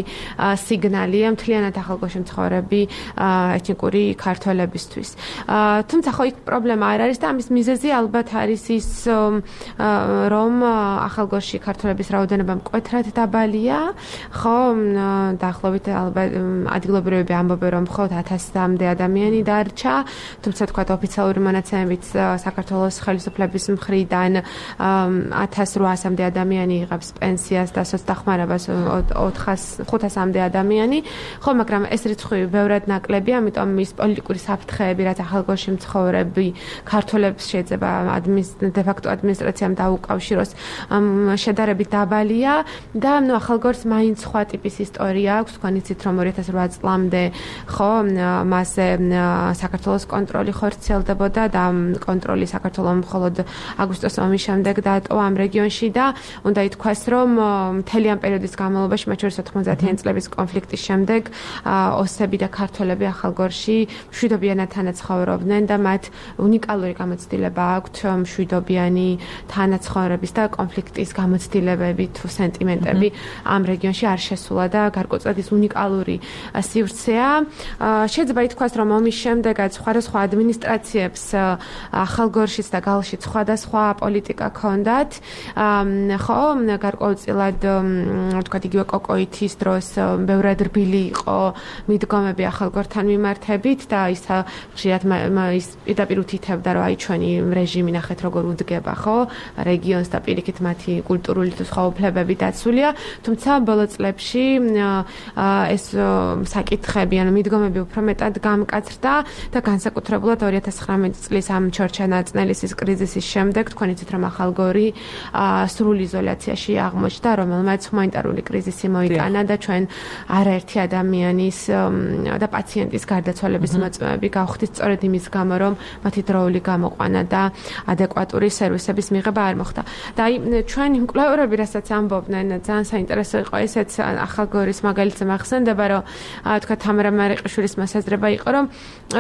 სიგნალია მთლიანად ახალგორში მცხოვრები ეთნიკური ქართველებისთვის. თუმცა ხო იქ პრობლემა არ არის და ამის მიზეზი ალბათ არის ის, რომ ახალგორში ქართველების რაოდენობა მკვეთრად დაბალია, ხო, დაახლოებით ალბათ ადგილობრივები ამბობენ, რომ მხოლოდ 1000-მდე ადამიანი დარჩა, თუმცა თქვა ოფიციალური მონაცემებით საქართველოს ხელისუფლების მხრიდან 1800-მდე ადამიანი იღებს პენსიას და სოცდახმარებას 500-მდე ადამიანი, ხო, მაგრამ ეს რიცხვი ბევრად ნაკლებია, ამიტომ ის პოლიტიკური საფრთხეები, რაც ახალგორში მცხოვრები ქართველებს შეიძლება დე ფაქტო ადმინისტრაციამ დაუკავშიროს, შედარებით დაბალია და ახალგორს მაინც სხვა ტიპის ისტორია აქვს, თქვენ იცით, რომ 2008 წლამდე ხო, მასზე საქართველოს კონტროლი ხორციელდებოდა და კონტროლი საქართველოს მხოლოდ აგვისტოს ომის შემდეგ დაატოვა ამ რეგიონში და უნდა ითქვას, რომ მთელი ამ პერიოდის განმავლობაში, მათ შორის 90-იანი წლების კონფლიქტის შემდეგ, ოსები და ქართველები ახალგორში მშვიდობიანად თანაცხოვრობდნენ და მათ უნიკალური გამოცდილება აქვთ მშვიდობიანი თანაცხოვრების და კონფლიქტის გამოცდილებები თუ სენტიმენტები ამ რეგიონში არ შესულა და გარკვეულწილად ის უნიკალური სივრცეა. შეიძლება ითქვას, რომ ომის შემდეგაც სხვადასხვა ადმინისტრაციებს ახალგორშიც და გალშიც სხვადასხვა პოლიტიკა ჰქონდათ. ხო, გარკვეულწილად თქვა იგივე კოკოითის დროს ბევრად რბილი იყო მიდგომები ახალგორთან მიმართებით და ის ხშირად ის პირდაპირ უთითებდა, რომ აი ჩვენი რეჟიმი ნახეთ როგორ უდგება, ხო, რეგიონს და პირიქით მათი კულტურული თუ სხვა უფლებები დაცულია, თუმცა ბოლო წლებში ეს საკითხები, ანუ მიდგომები უფრო მეტად გამკაცრდა და განსაკუთრებულად 2019 წლის ამ ჩორჩა-ნაწნელისის კრიზისის შემდეგ თქვენ იცით, რომ ახალგორი სრულ იზოლაციაში აღმოჩნდა, რომელმაც ჰუმანიტარული კრიზისი მოიტანა და ჩვენ არაერთი ადამიანის და პაციენტის გარდაცვალების მოწმეები გავხდით სწორედ იმის გამო, რომ მათი დროული გამოყვანა და ადეკვატური სერვისების მიღება არ მოხდა. და აი ჩვენი მკვლევარები, რასაც ამბობდნენ, ძალიან საინტერესო იყო ესეც ახალგორის მაგალითზე მახსენდება, რომ თქვა თამარა მერაყიშვილის მოსაზრება იყო, რომ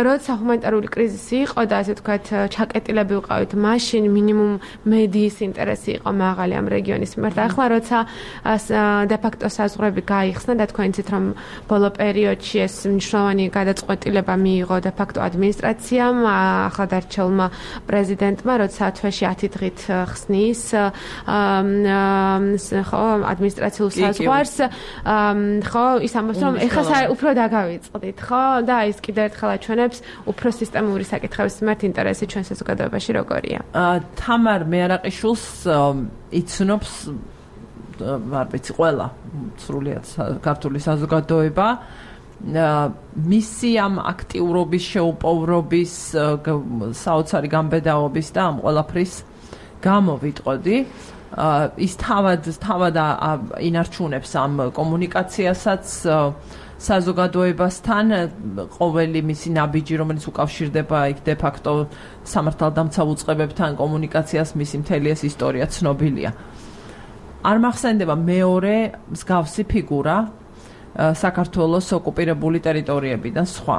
როცა ჰუმანიტარული კრიზისი იყო და ასე თქვა ჩაკეტილები ვიყავით, მაშინ მინიმუმ მედიის ინტერესი იყო მაღალი ამ რეგიონის მიმართ. ახლა როცა დე ფაქტო საზღვრები გაიხსნა და თქვენ იცით, რომ ბოლო პერიოდში ეს მნიშვნელოვანი გადაწყვეტილება მიიღო დე ფაქტო ადმინისტრაციამ, ახლადარჩეულმა პრეზიდენტმა, როცა თვეში 10 დღით ხსნის ხო ადმინისტრაციულ საზღვარს, ხო, ის ამბობს, რომ ეხლა უფრო დაგავიწყდით, ხო, და ის კიდევ ერთხელ აჩვენებს უფრო სისტემური საკითხების მიმართ ინტერესი ჩვენ საზოგადოებაში როგორია. თამარ მერაყიშვილს იცნობს არ ვიცი ყველა სრულიად ქართული საზოგადოება. მისი ამ აქტიურობის, შეუპოვრობის, საოცარი გამბედაობის და ამ ყველაფრის გამო ვიტყოდი, ის თავად ინარჩუნებს ამ კომუნიკაციასაც საზოგადოებასთან, ყოველი მისი ნაბიჯი, რომელიც უკავშირდება იქ დე ფაქტო სამართალდამცავ უწყებებთან კომუნიკაციას, მისი მთელი ეს ისტორია ცნობილია. არ მახსენდება მეორე მსგავსი ფიგურა საქართველოს ოკუპირებული ტერიტორიებიდან სხვა.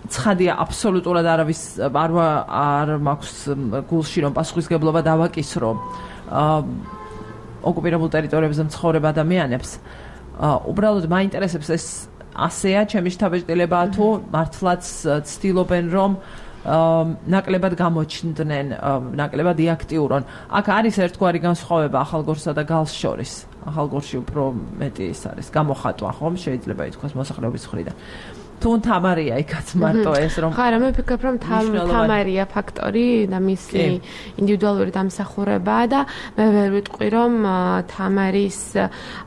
ცხადია, აბსოლუტურად არავის არ მაქვს გულში, რომ პასუხისგებლობა დავაკისრო ოკუპირებულ ტერიტორიებზე მცხოვრებ ადამიანებს. უბრალოდ მაინტერესებს ეს ასეა ჩემი შთაბეჭდილებაა თუ მართლაც ცდილობენ რომ ნაკლებად გამოჩნდნენ, ნაკლებად იაქტიურონ. აქ არის ერთგვარი განსხვავება ახალგორსა და გალს შორის. ახალგორში უფრო მეტი ის არის გამოხატვა, ხომ შეიძლება ითქვას მოსახლეობის მხრიდან. თუ თამარია იქაც მარტო ეს რომ ხარა მე ვფიქრობ რომ თამარია ფაქტორი და მისი ინდივიდუალური დამსახურებაა და მე ვერ ვიტყვი რომ თამარის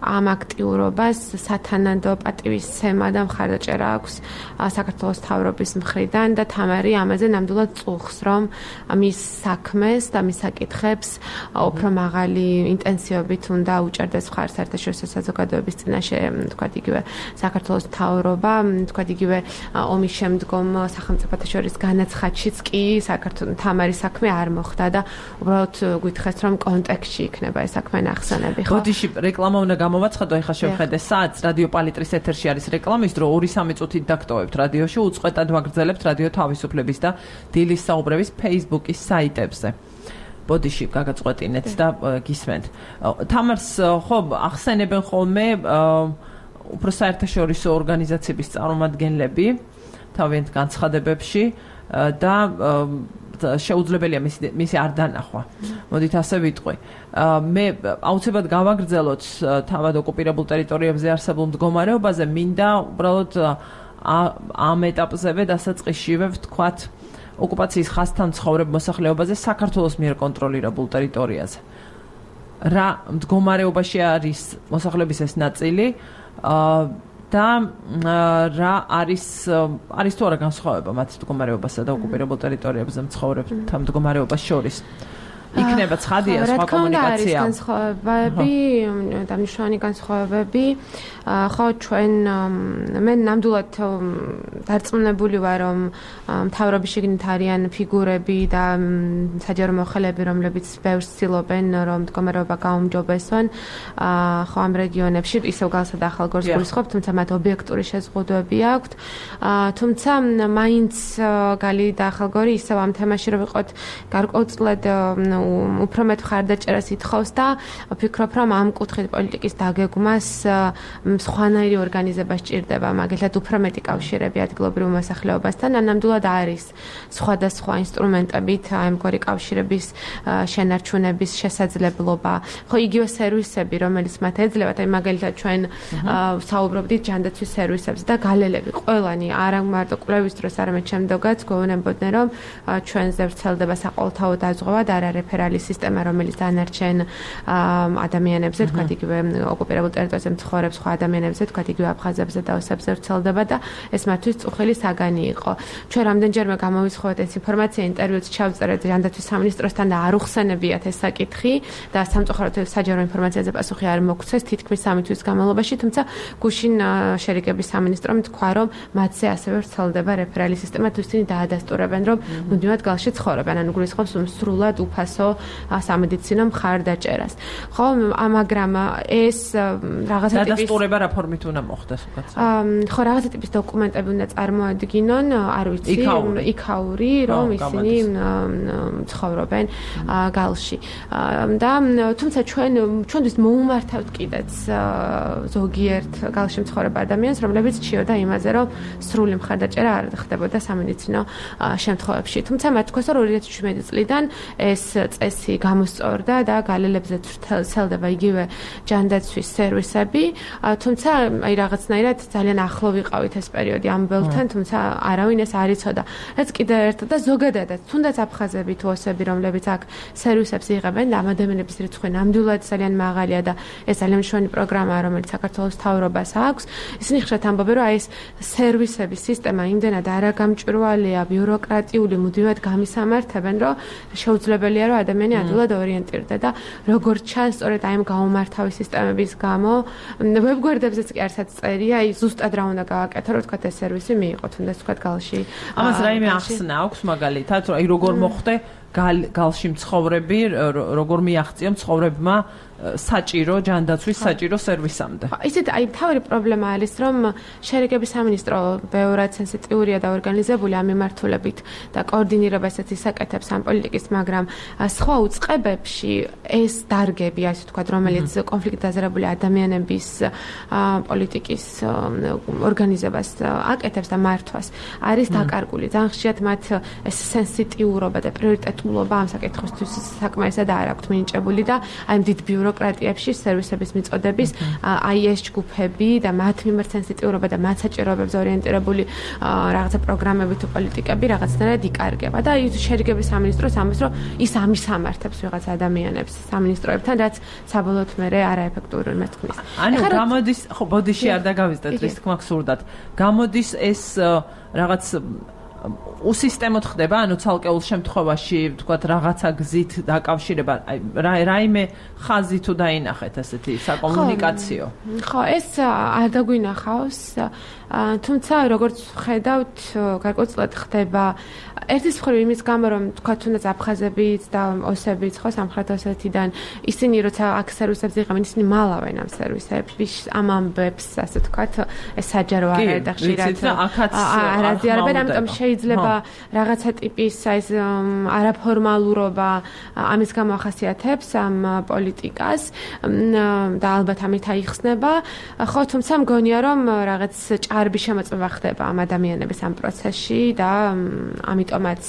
ამ აქტიურობას სათანადო პატივისცემა და მხარდაჭერა აქვს საქართველოს მთავრობის მხრიდან და თამარი ამაზე ნამდვილად წუხს რომ მის საქმეს და მის საკითხებს უფრო მაღალი ინტენსივობით უნდა უჭერდეს მხარს საერთაშორისო საზოგადოების წინაშე თქვა იგივე საქართველოს მთავრობა თქვა იგივე ომის შემდგომ სახელმწიფოთა შორის განაცხადშიც კი საქართველოს თამარი საქმე არ მოხდა და უბრალოდ გითხრათ რომ კონტექსტში იქნება ეს საქმე ნახსენები ხო? ბოდიში რეკლამა უნდა გამოვაცხადო, ეხლა შევხედე საათს რადიო პალიტრის ეთერში არის რეკლამის დრო 2-3 წუთით დაგტოვებთ რადიოში, უწყვეტად ვაგრძელებთ რადიო თავისუფლების და დილის საუბრების Facebook-ის საიტებზე. ბოდიში გაგაწყვეტინეთ და გისმენთ. თამარს ხო ახსენებენ ხოლმე უფრო საერთაშორისო ორგანიზაციების წარმომადგენლები თავიანთ განცხადებებში და შეუძლებელია მისი არ დანახვა. მოდით ასე ვიტყვი. მე აუცილებლად გავაგრძელოთ თავად ოკუპირებულ ტერიტორიებზე არსებულ მდგომარეობაზე, მინდა უბრალოდ ამ ეტაპზევე დასაწყისშივე ვთქვათ ოკუპაციის ხაზთან მცხოვრებ მოსახლეობაზე საქართველოს მიერ კონტროლირებულ ტერიტორიაზე. რა მდგომარეობაში არის მოსახლეობის ეს ნაწილი და რა არის თუ არა განსხვავება მათ მდგომარეობასა და ოკუპირებულ ტერიტორიებზე მცხოვრებთა მდგომარეობას შორის. იქნება ცხადია სხვა კომუნიკაცია. არის განსხვავებები, დამნიშნული განსხვავებები. ხო ჩვენ მე ნამდვილად დარწმუნებული ვარ რომ მთავრობის შიგნით არიან ფიგურები და საჯარო მოხელეები რომლებიც ბევრს ცდილობენ რომ მდგომარეობა გაუმჯობესონ ხო ამ რეგიონებში ისევ გალსა და ახალგორს გულისხმობ თუმცა მათ ობიექტური შეზღუდვები აქვთ თუმცა მაინც გალი და ახალგორი ისევ ამ თემაში რომ ვიყოთ გარკვეულწილად უფრო მეტ მხარდაჭერას ითხოვს და ვფიქრობ რომ ამ კუთხით პოლიტიკის დაგეგმას სხვანაირი ორგანიზება სჭირდება, მაგალითად უფრო მეტი კავშირები ადგილობრივ მოსახლეობასთან, ნამდვილად არის სხვადასხვა ინსტრუმენტებით ამგვარი კავშირების შენარჩუნების შესაძლებლობა. ხო იგივე სერვისები, რომელიც მათ ეძლევათ, აი მაგალითად ჩვენ საუბრობდით ჯანდაცვის სერვისებზე და გალელები ყველანი არა მარტო კვლევის დროს, არამედ შემდგომაც გვეუბნებოდნენ, რომ ჩვენზე ვრცელდება საყოველთაო დაზღვევა და არა რეფერალი სისტემა, რომელიც დანარჩენ ადამიანებზე, თქვათ იგივე ოკუპირებულ ტერიტორიაზე მცხოვრებ სხვა ადამიანებზე, თქვათ იგივე აფხაზებზე და ოსებზე ვრცელდება და ეს მათთვის წუხელი საგანი იყო. ჩვენ რამდენჯერმე გამოვიცხოვეთ ეს ინფორმაცია, ინტერვიუც ჩავწერეთ ჯანდაცვის სამინისტროსთან და არ უხსენებიათ ეს საკითხი და სამწუხაროდ საჯარო ინფორმაციაზე პასუხი არ მოგცეს თითქმის 3 თვის განმავლობაში, თუმცა გუშინ შერიგების სამინისტრომ თქვა, რომ მათზე ასევე ვრცელდება რეფერალი სისტემა, თუ ისინი დაადასტურებენ, რომ მუდმივად გალში ცხოვრობენ, ანუ გულისხმობს სრულად უფასო სამედიცინო მხარდაჭერას. ხო, მაგრამ ეს რაღაცა ტიპის დადასტურება რა ფორმით უნდა მოხდეს უკაცრავ? ხო, რაღაცა ტიპის დოკუმენტები უნდა წარმოადგინონ, არ ვიცი, იქაური, რომ ისინი ცხოვრობენ გალში. და თუმცა ჩვენთვის მოუმართავთ კიდეც ზოგიერთ გალში მცხოვრებ ადამიანს, რომლებიც ჩიოდა იმაზე, რომ სრული მხარდაჭერა არ ხდებოდა სამედიცინო შემთხვევებში. თუმცა მათ თქოს, რომ 2017 წლიდან ეს წესი გამოსწორდა და გალელებზე ვრცელდება იგივე ჯანდაცვის სერვისები, თუმცა აი რაღაცნაირად ძალიან ახლო ვიყავით ეს პერიოდი ამ ბელთან, თუმცა არავინ ეს არ იცოდა. რაც კიდევ ერთად და ზოგადადაც, თუნდაც აფხაზები თუ ოსები, რომლებიც აქ სერვისებს იღებენ და ამ ადამიანების რიცხვი ნამდვილად ძალიან მაღალია და ეს ძალიან მშვენი პროგრამაა, რომელიც საქართველოს მთავრობას აქვს. ისინი ხშირად ამბობენ, რომ აი ეს სერვისების სისტემა იმდენად არაგამჭვირვალეა, ბიუროკრატიული, მუდმივად გამისამართებენ, რომ შეუძლებელია, რომ ადამიანი ადვილად ორიენტირდება და როგორც ჩანს, სწორედ აი ამ გაუმართავი სისტემების გამო ვებგვერდებზეც კი არცაც წერია, აი ზუსტად რა უნდა გავაკეთო, რომ თქვა ეს სერვისი მიიღო, თუნდაც თქვა გალში. ამას რაიმე ახსნა აქვს მაგალითად, რომ აი როგორ მოხდე გალში მცხოვრები, როგორ მიაღწია მცხოვრებმა საჭირო ჯანდაცვის საჭირო სერვისამდე. ისეთ აი თავი პრობლემა არის, რომ შერიგების სამინისტრო ბევრად სენსიტიურია და ორგანიზებული ამ მიმართულებით და კოორდინირებას ისაკეთებს ამ პოლიტიკის, მაგრამ სხვა უწყებებში ეს დარგები, ასე ვთქვათ, რომელიც კონფლიქტ დაზარებული ადამიანების პოლიტიკის ორგანიზებას აკეთებს და მართვას, არის დაკარგული. ძალიან ხშირად მათ ეს სენსიტიურობა და პრიორიტეტულობა ამ საკითხისთვის საკმარისად არ აქვთ მინიჭებული და აი დიდ ბიუროკრატიებში სერვისების მიწოდების აი ეს ჯგუფები და მათ მიმართ სენსიტიურობა და მათ საჭიროებებზე ორიენტირებული რაღაცა პროგრამები თუ პოლიტიკები რაღაცნაირად იკარგება და ის შერიგების სამინისტროს ამბობს, რომ ის ამისამართებს ვიღაც ადამიანებს სამინისტროებთან, რაც საბოლოოდ მერე არაეფექტური მეთქმის. ანუ გამოდის, ხო, ბოდიში არ დაგავიწყდეთ, რის თქმა გსურდათ. გამოდის ეს რაღაც უსისტემოდ ხდება, ანუ ცალკეულ შემთხვევაში, თქვათ, რაღაცა გზით დაკავშირება, რაიმე ხაზი თუ დაინახეთ ასეთი საკომუნიკაციო. ხო, ეს არ დაგვინახავს, თუმცა როგორც ხედავთ, გარკვეულწილად ხდება ერთის მხრივ იმის გამო, რომ თქვათ, თუნდაც აფხაზებიც და ოსებიც, ხო, სამხრეთ ოსეთიდან ისინი როცა აქ სერვისებს იღებენ, ისინი მალავენ ამ სერვისებს, ამ ამბებს, ასე თქვათ, ეს საჯარო არ არის და ხშირად არ აზიარებენ, ამიტომ შეიძლება რაღაცა ტიპის ეს არაფორმალურობა ამის გამო ახასიათებს ამ პოლიტიკას და ალბათ ამით აიხსნება. ხო, თუმცა მგონია, რომ რაღაც ჭარბი შემოწმება ხდება ამ ადამიანების ამ პროცესში და ამიტომაც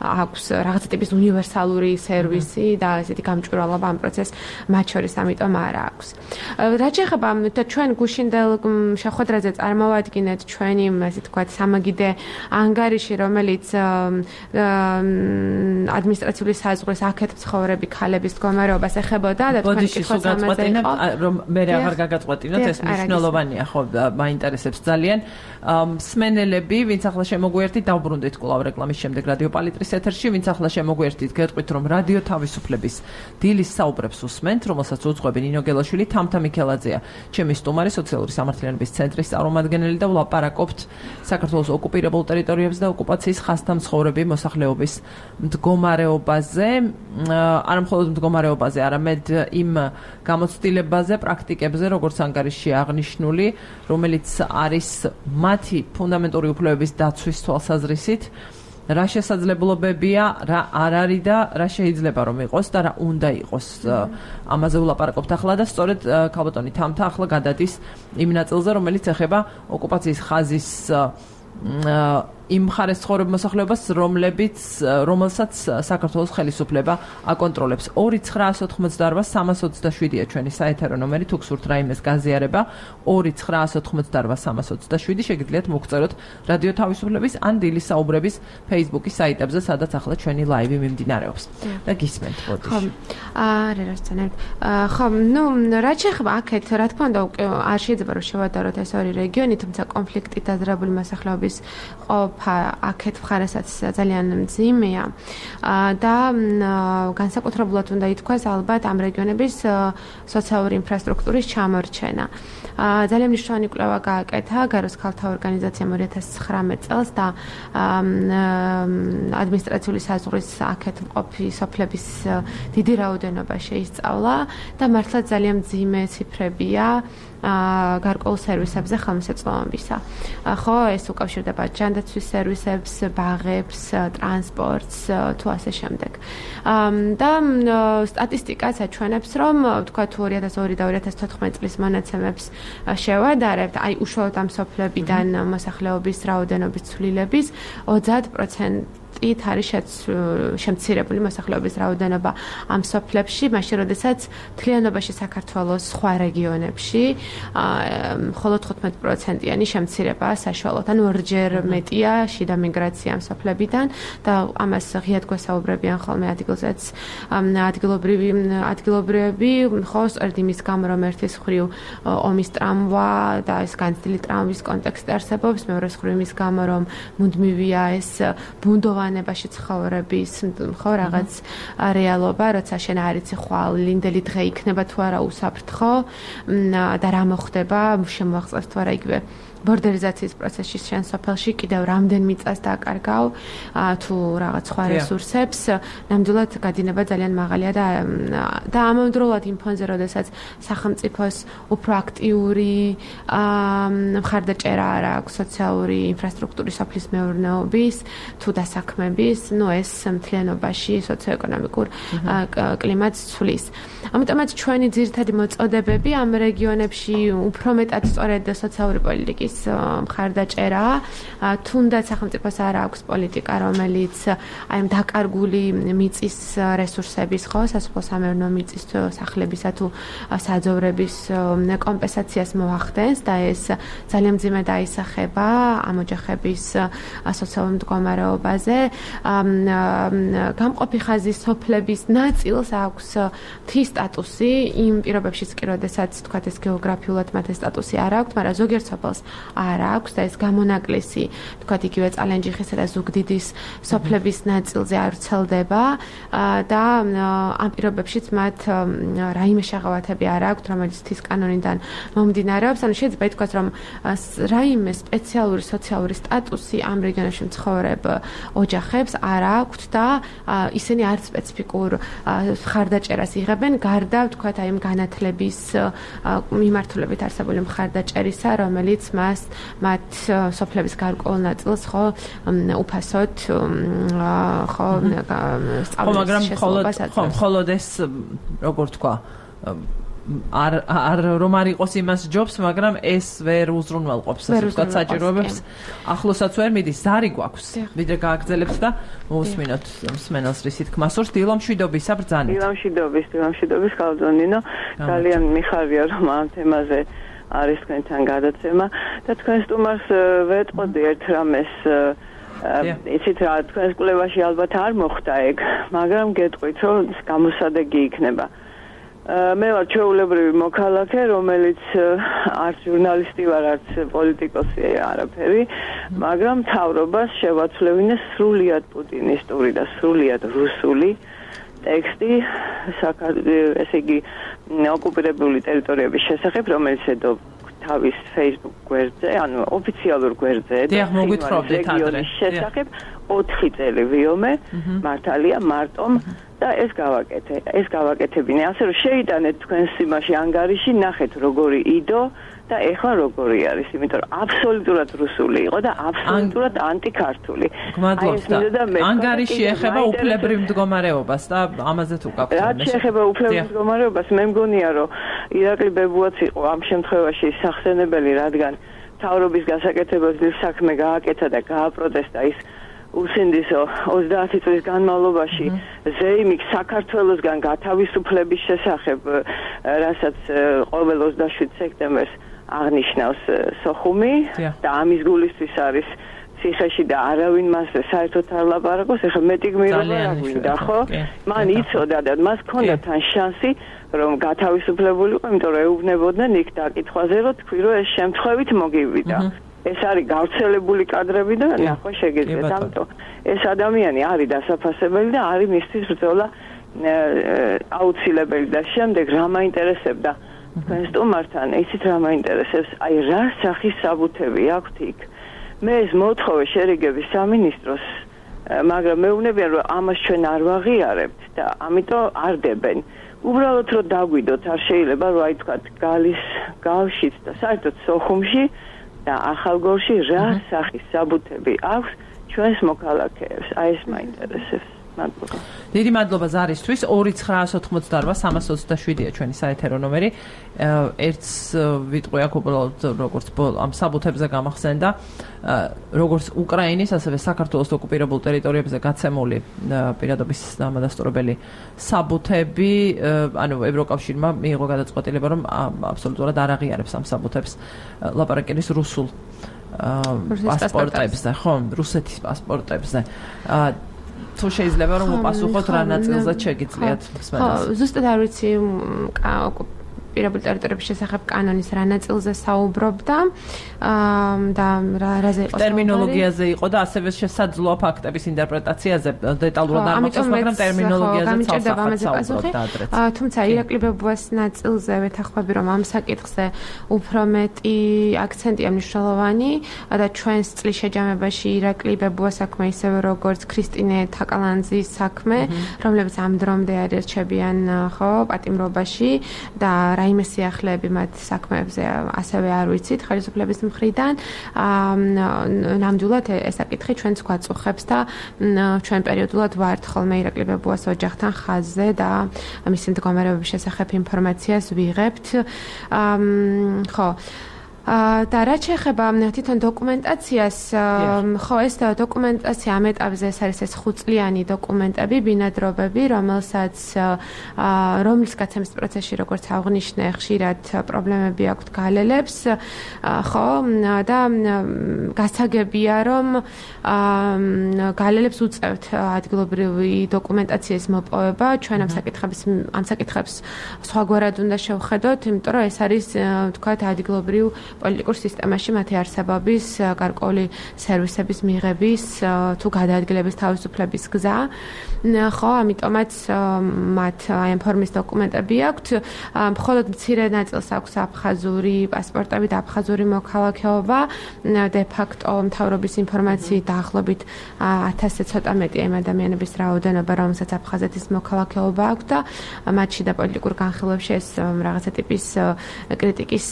აქვს რაღაცა ტიპის უნივერსალური სერვისი და ესეთი გამჭვირვალობა ამ პროცესს მათ შორის ამიტომ არ აქვს. რაც შეეხება ჩვენ გუშინდელ შეხვედრაზე წარმოვადგინეთ ჩვენი, ასე თქვათ, სამაგიდე ანგარიში, რომელიც ადმინისტრაციული საზღვრის აქეთ მცხოვრები ქალების მდგომარეობას ეხებოდა და თქვენი კითხვაც ამაზე იყო. რომ მე აღარ გაგაწყვეტინოთ, ეს მნიშვნელოვანია, ხო, მაინტერესებს ძალიან. მსმენელები, ვინც ახლა შემოგვიერთით, დავბრუნდით კვლავ რეკლამის შემდეგ რადიო პალიტრის ეთერში, ვინც ახლა შემოგვიერთით, გეტყვით, რომ რადიო თავისუფლების დილის საუბრებს უსმენთ, რომელსაც უძღვები ნინო გელაშვილი, თამთა მიქელაძეა, ჩემი სტუმარი, სოციალური სამართლიანობის ცენტრის წარმომადგენელი და ვლაპარაკობთ საქართველოს ოკუპირებულ ტერიტორიებზე და ოკუპაციის ხაზთან მცხოვრები მოსახლეობის მდგომარეობაზე, არა მხოლოდ მდგომარეობაზე, არამედ იმ გამოცდილებაზე, პრაქტიკებზე, როგორც ანგარიშში აღნიშნული, რომელიც არის მათი ფუნდამენტური უფლებების დაცვის თვალსაზრისით, რა შესაძლებლობებია, რა არ არის და რა შეიძლება რომ იყოს და რა უნდა იყოს. ამაზე ვლაპარაკობთ ახლა და სწორედ ქალბატონი თამთა ახლა გადადის იმ ნაწილზე, რომელიც ეხება ოკუპაციის ხაზის იმ მხარეს ცხოვრებ მოსახლეობას, რომელსაც საქართველოს ხელისუფლება აკონტროლებს. 2988327-ია ჩვენი საეთერო ნომერი, თუ გსურთ რაიმეს გაზიარება, 2988327 შეგიძლიათ მოგწეროთ რადიო თავისუფლების ან დილის საუბრების Facebook-ის საიტებზე, სადაც ახლა ჩვენი ლაივი მიმდინარეობს. და გისმენთ, ბოდიში. ხო, ხო, რაც შეეხება აქეთ, რა თქმა უნდა, არ შეიძლება რომ შევადაროთ ეს ორი რეგიონი, თუმცა კონფლიქტით დაძრებული მოსახლეობის აქეთ მხარესაც ძალიან მძიმეა და განსაკუთრებულად უნდა ითქვას ალბათ ამ რეგიონების სოციალური ინფრასტრუქტურის ჩამორჩენა. ძალიან მნიშვნელოვანი კვლევა გააკეთა გაროს ქალთა ორგანიზაციამ 2019 წელს და ადმინისტრაციული საზღვრის აქეთ მყოფი სოფლების დიდი რაოდენობა შეისწავლა და მართლაც ძალიან მძიმე ციფრებია გარკვეულ სერვისებზე ხელმისაწვდომობისა. ხო, ეს უკავშირდება ჯანდაცვის სერვისებს, ბაღებს, ტრანსპორტს თუ ასე შემდეგ. და სტატისტიკაც აჩვენებს, რომ თქვა 2002 და 2014 წლის მონაცემებს შევადარებთ, აი უშუალოდ ამ სოფლებიდან მოსახლეობის რაოდენობის ცვლილების 30% არის შემცირებული მოსახლეობის რაოდენობა ამ სოფლებში, მაშინ როდესაც მთლიანობაში საქართველოს სხვა რეგიონებში მხოლოდ 15%-იანი შემცირებაა საშუალოდ, ანუ ორჯერ მეტია შიდა მიგრაცია ამ სოფლებიდან და ამას ღიად გვესაუბრებიან ხოლმე ადგილზეც ადგილობრივები, ხო, სწორედ იმის გამო, რომ ერთის მხრივ ომის ტრამვა და ეს განცდილი ტრამვის კონტექსტი არსებობს, მეორეს მხრივ იმის გამო, რომ მუდმივია ეს ბუნდოვანებაში ცხოვრების, ხო, რაღაც რეალობა, როცა შენ არ იცი ხვალ ლინდელი დღე იქნება თუ არა უსაფრთხო და რა მოხდება, შემოაღწევს თუ არა იგივე ბორდერიზაციის პროცესში შენ სოფელში კიდევ რამდენ მიწას დაკარგავ თუ რაღაც სხვა რესურსებს, ნამდვილად გადინება ძალიან მაღალია და ამავდროულად იმ ფონზე, როდესაც სახელმწიფოს უფრო აქტიური მხარდაჭერა არ აქვს სოციალური ინფრასტრუქტურის სოფლის მეურნეობის თუ დასაქმების, ეს მთლიანობაში სოციოეკონომიკურ კლიმატს ცვლის. ამიტომაც ჩვენი ძირითადი მოწოდებები ამ რეგიონებში უფრო მეტად სწორედ სოციალური პოლიტიკის მხარდაჭერა, თუნდაც სახელმწიფოს არ აქვს პოლიტიკა, რომელიც აი ამ დაკარგული მიწის რესურსების, ხო, სასოფლო-სამეურნეო მიწის სახლებისა თუ საძოვრების კომპენსაციას მოახდენს და ეს ძალიან მძიმე დაისახება ამ ოჯახების სოციალურ მდგომარეობაზე. გამყოფი ხაზის სოფლების ნაწილს აქვს მთის სტატუსი იმ პირობებშიც კი, როდესაც თქვათ ეს გეოგრაფიულად მათ ეს სტატუსი არ აქვს, მაგრამ ზოგიერთ სოფელს არ აქვს და ეს გამონაკლისი თქვათ იგივე წალენჯიხისა და ზუგდიდის სოფლების ნაწილზე არ ვრცელდება და ამ პირობებშიც მათ რაიმე შეღავათები არ აქვთ, რომელიც თის კანონიდან მომდინარეობს. ანუ შეიძლება ითქვას, რომ რაიმე სპეციალური სოციალური სტატუსი ამ რეგიონებში მცხოვრებ ოჯახებს არ აქვთ და ისინი არც სპეციფიკურ მხარდაჭერას იღებენ, გარდა ვთქვათ აი იმ განათლების მიმართულებით არსებული მხარდაჭერისა, რომელიც მათ სოფლების გარკვეულ ნაწილს ხო უფასოდ ხო მაგრამ მხოლოდ ეს როგორ თქვა არ რომ არ იყოს იმას ჯობს, მაგრამ ეს ვერ უზრუნველყოფს ასე საჭიროებებს. ახლოსაც ვერ მიდის, ზარი გვაქვს. ვიდრე გააგრძელებთ და მოусმინოთ მსმენელს რისი თქმა სურს. დილამშვიდობისა ბრძანეთ. დილამშვიდობის ხალხონინო, ძალიან მიხარია რომ ამ თემაზე არის თქვენთან გადაცემა და თქვენ სტუმარს ვეტყოდი ერთ რამეს იცით რა, თქვენს კვლევაში ალბათ არ მოხდა ეგ, მაგრამ გეტყვით რომ გამოსადეგი იქნება. მე ვარ ჩვეულებრივი მოქალაქე, რომელიც არც ჟურნალისტი ვარ, არც პოლიტიკოსი არაფერი, მაგრამ მთავრობას შევაცვლევინე სრულიად პუტინისტური და სრულიად რუსული ტექსტი ესე იგი ოკუპირებული ტერიტორიების შესახებ, რომელიც ედო თავის Facebook გვერდზე, ანუ ოფიციალურ გვერდზე რეგიონის შესახებ 4 წელი ვიომე, მართალია მარტომ და ეს გავაკეთებინე. ასე რომ შეიტანეთ თქვენს იმაში ანგარიში, ნახეთ როგორი იდო და ეხლა როგორი არის, იმიტომ რომ აბსოლუტურად რუსული იყო და აბსოლუტურად ანტიქართული. ანგარიში ეხება უფლებრივ მდგომარეობას და ამაზე თუ გაქვთ. რაც შეეხება უფლებრივ მდგომარეობას, მე მგონია რომ ირაკლი ბებუაც იყო ამ შემთხვევაში სახსენებელი, რადგან მთავრობის გასაკეთებელ საქმე გააკეთა და გააპროტესტა ის უსინდისო 30 წლის განმავლობაში ზეიმი საქართველოსგან გათავისუფლების შესახებ, რასაც ყოველ 27 სექტემბერს აღნიშნავს სოხუმი და ამის გულისთვის არის ციხეში და არავინ მასზე საერთოდ არ ლაპარაკობს. ეხლა მეტი გმირობა რა გვინდა, ხო? მან იცოდა და მას ჰქონდა თან შანსი რომ გათავისუფლებულიყო, იმიტომ რომ ეუბნებოდნენ იქ დაკითხვაზე, რომ თქვი რომ ეს შემთხვევით მოგივიდა. ეს არის გავრცელებული კადრები და ნახვა შეგეძლოთ. ამიტომ ეს ადამიანი არის დასაფასებელი და არის მისთვის ბრძოლა აუცილებელი და შემდეგ რა მაინტერესებდა თქვენ სტუმართან, იცით რა მაინტერესებს, აი რა სახის საბუთები აქვთ იქ. მე ეს მოთხოვე შერიგების სამინისტროს, მაგრამ მეუბნებიან რომ ამას ჩვენ არ ვაღიარებთ და ამიტომ არ დებენ. უბრალოდ რომ დაგვიდოთ, არ შეიძლება რომ აი თქვა გალის გავშიც და საერთოდ სოხუმში და ახალგორში რა სახის საბუთები აქვს ჩვენს მოქალაქეებს. აი ეს მაინტერესებს. მადლობა. დიდი მადლობა ზარისთვის. 2988327-ია ჩვენი საეთერო ნომერი. ერთს ვიტყვი აქ უბრალოდ როგორც ამ საბუთებზე გამახსენდა, როგორც უკრაინის, ასევე საქართველოს ოკუპირებულ ტერიტორიებზე გაცემული პირადობის დამადასტურებელი საბუთები, ანუ ევროკავშირმა მიიღო გადაწყვეტილება, რომ აბსოლუტურად არ აღიარებს ამ საბუთებს. ლაპარაკი არის რუსულ პასპორტებზე, ხო, რუსეთის პასპორტებზე. თუ შეიძლება რომ უპასუხოთ რა ნაწილზეც შეგიძლიათ მსმენელს. ხო, ზუსტად არ ვიცი პირობრივ ტერიტორიების შესახებ კანონის რა ნაწილზე საუბრობდა და რაზე იყო ტერმინოლოგიაზე იყო და ასევე შესაძლოა ფაქტების ინტერპრეტაციაზე დეტალურად არ მოგწონს, მაგრამ ტერმინოლოგიაზე საუბრობდა ადრეც. თუმცა ირაკლი ბებუას ნაწილზე ვეთანხმები, რომ ამ საკითხზე უფრო მეტი აქცენტია მნიშვნელოვანი და ჩვენს წლის შეჯამებაში ირაკლი ბებუას საქმე ისევე როგორც ქრისტინე თაკალანძის საქმე, რომლებიც ამ დრომდე არჩებიან ხო პატიმრობაში და რაიმე სიახლეები მათ საქმეებზე ასევე არ ვიცით ხელისუფლების მხრიდან. ნამდვილად ეს საკითხი ჩვენც გვაწუხებს და ჩვენ პერიოდულად ვართ ხოლმე ირაკლი ბებუას ოჯახთან ხაზზე და მისი მდგომარეობის შესახებ ინფორმაციას ვიღებთ. ხო და რაც შეეხება თვითონ დოკუმენტაციას, ხო ეს დოკუმენტაცია ამ ეტაპზე ეს არის ეს 5 წლიანი დოკუმენტები, ბინადრობები, რომლის გაცემის პროცესში როგორც აღნიშნე, ხშირად პრობლემები აქვთ გალელებს, ხო და გასაგებია, რომ გალელებს უწევთ ადგილობრივი დოკუმენტაციის მოპოვება, ჩვენ ამ საკითხებს სხვაგვარად უნდა შევხედოთ, იმიტომ რომ ეს არის თქვათ ადგილობრივ პოლიტიკურ სისტემაში მათი არსებობის, გარკვეული სერვისების მიღების თუ გადაადგილების თავისუფლების გზა. ხო, ამიტომაც მათ აი ამ ფორმის დოკუმენტები აქვთ. მხოლოდ მცირე ნაწილს აქვს აფხაზური პასპორტები და აფხაზური მოქალაქეობა. de facto მთავრობის ინფორმაციით დაახლოებით 1000-ზე ცოტა მეტი ამ ადამიანების რაოდენობა, რომელსაც აფხაზეთის მოქალაქეობა აქვს და მათში და პოლიტიკურ განხილვებში ეს რაღაცა ტიპის კრიტიკის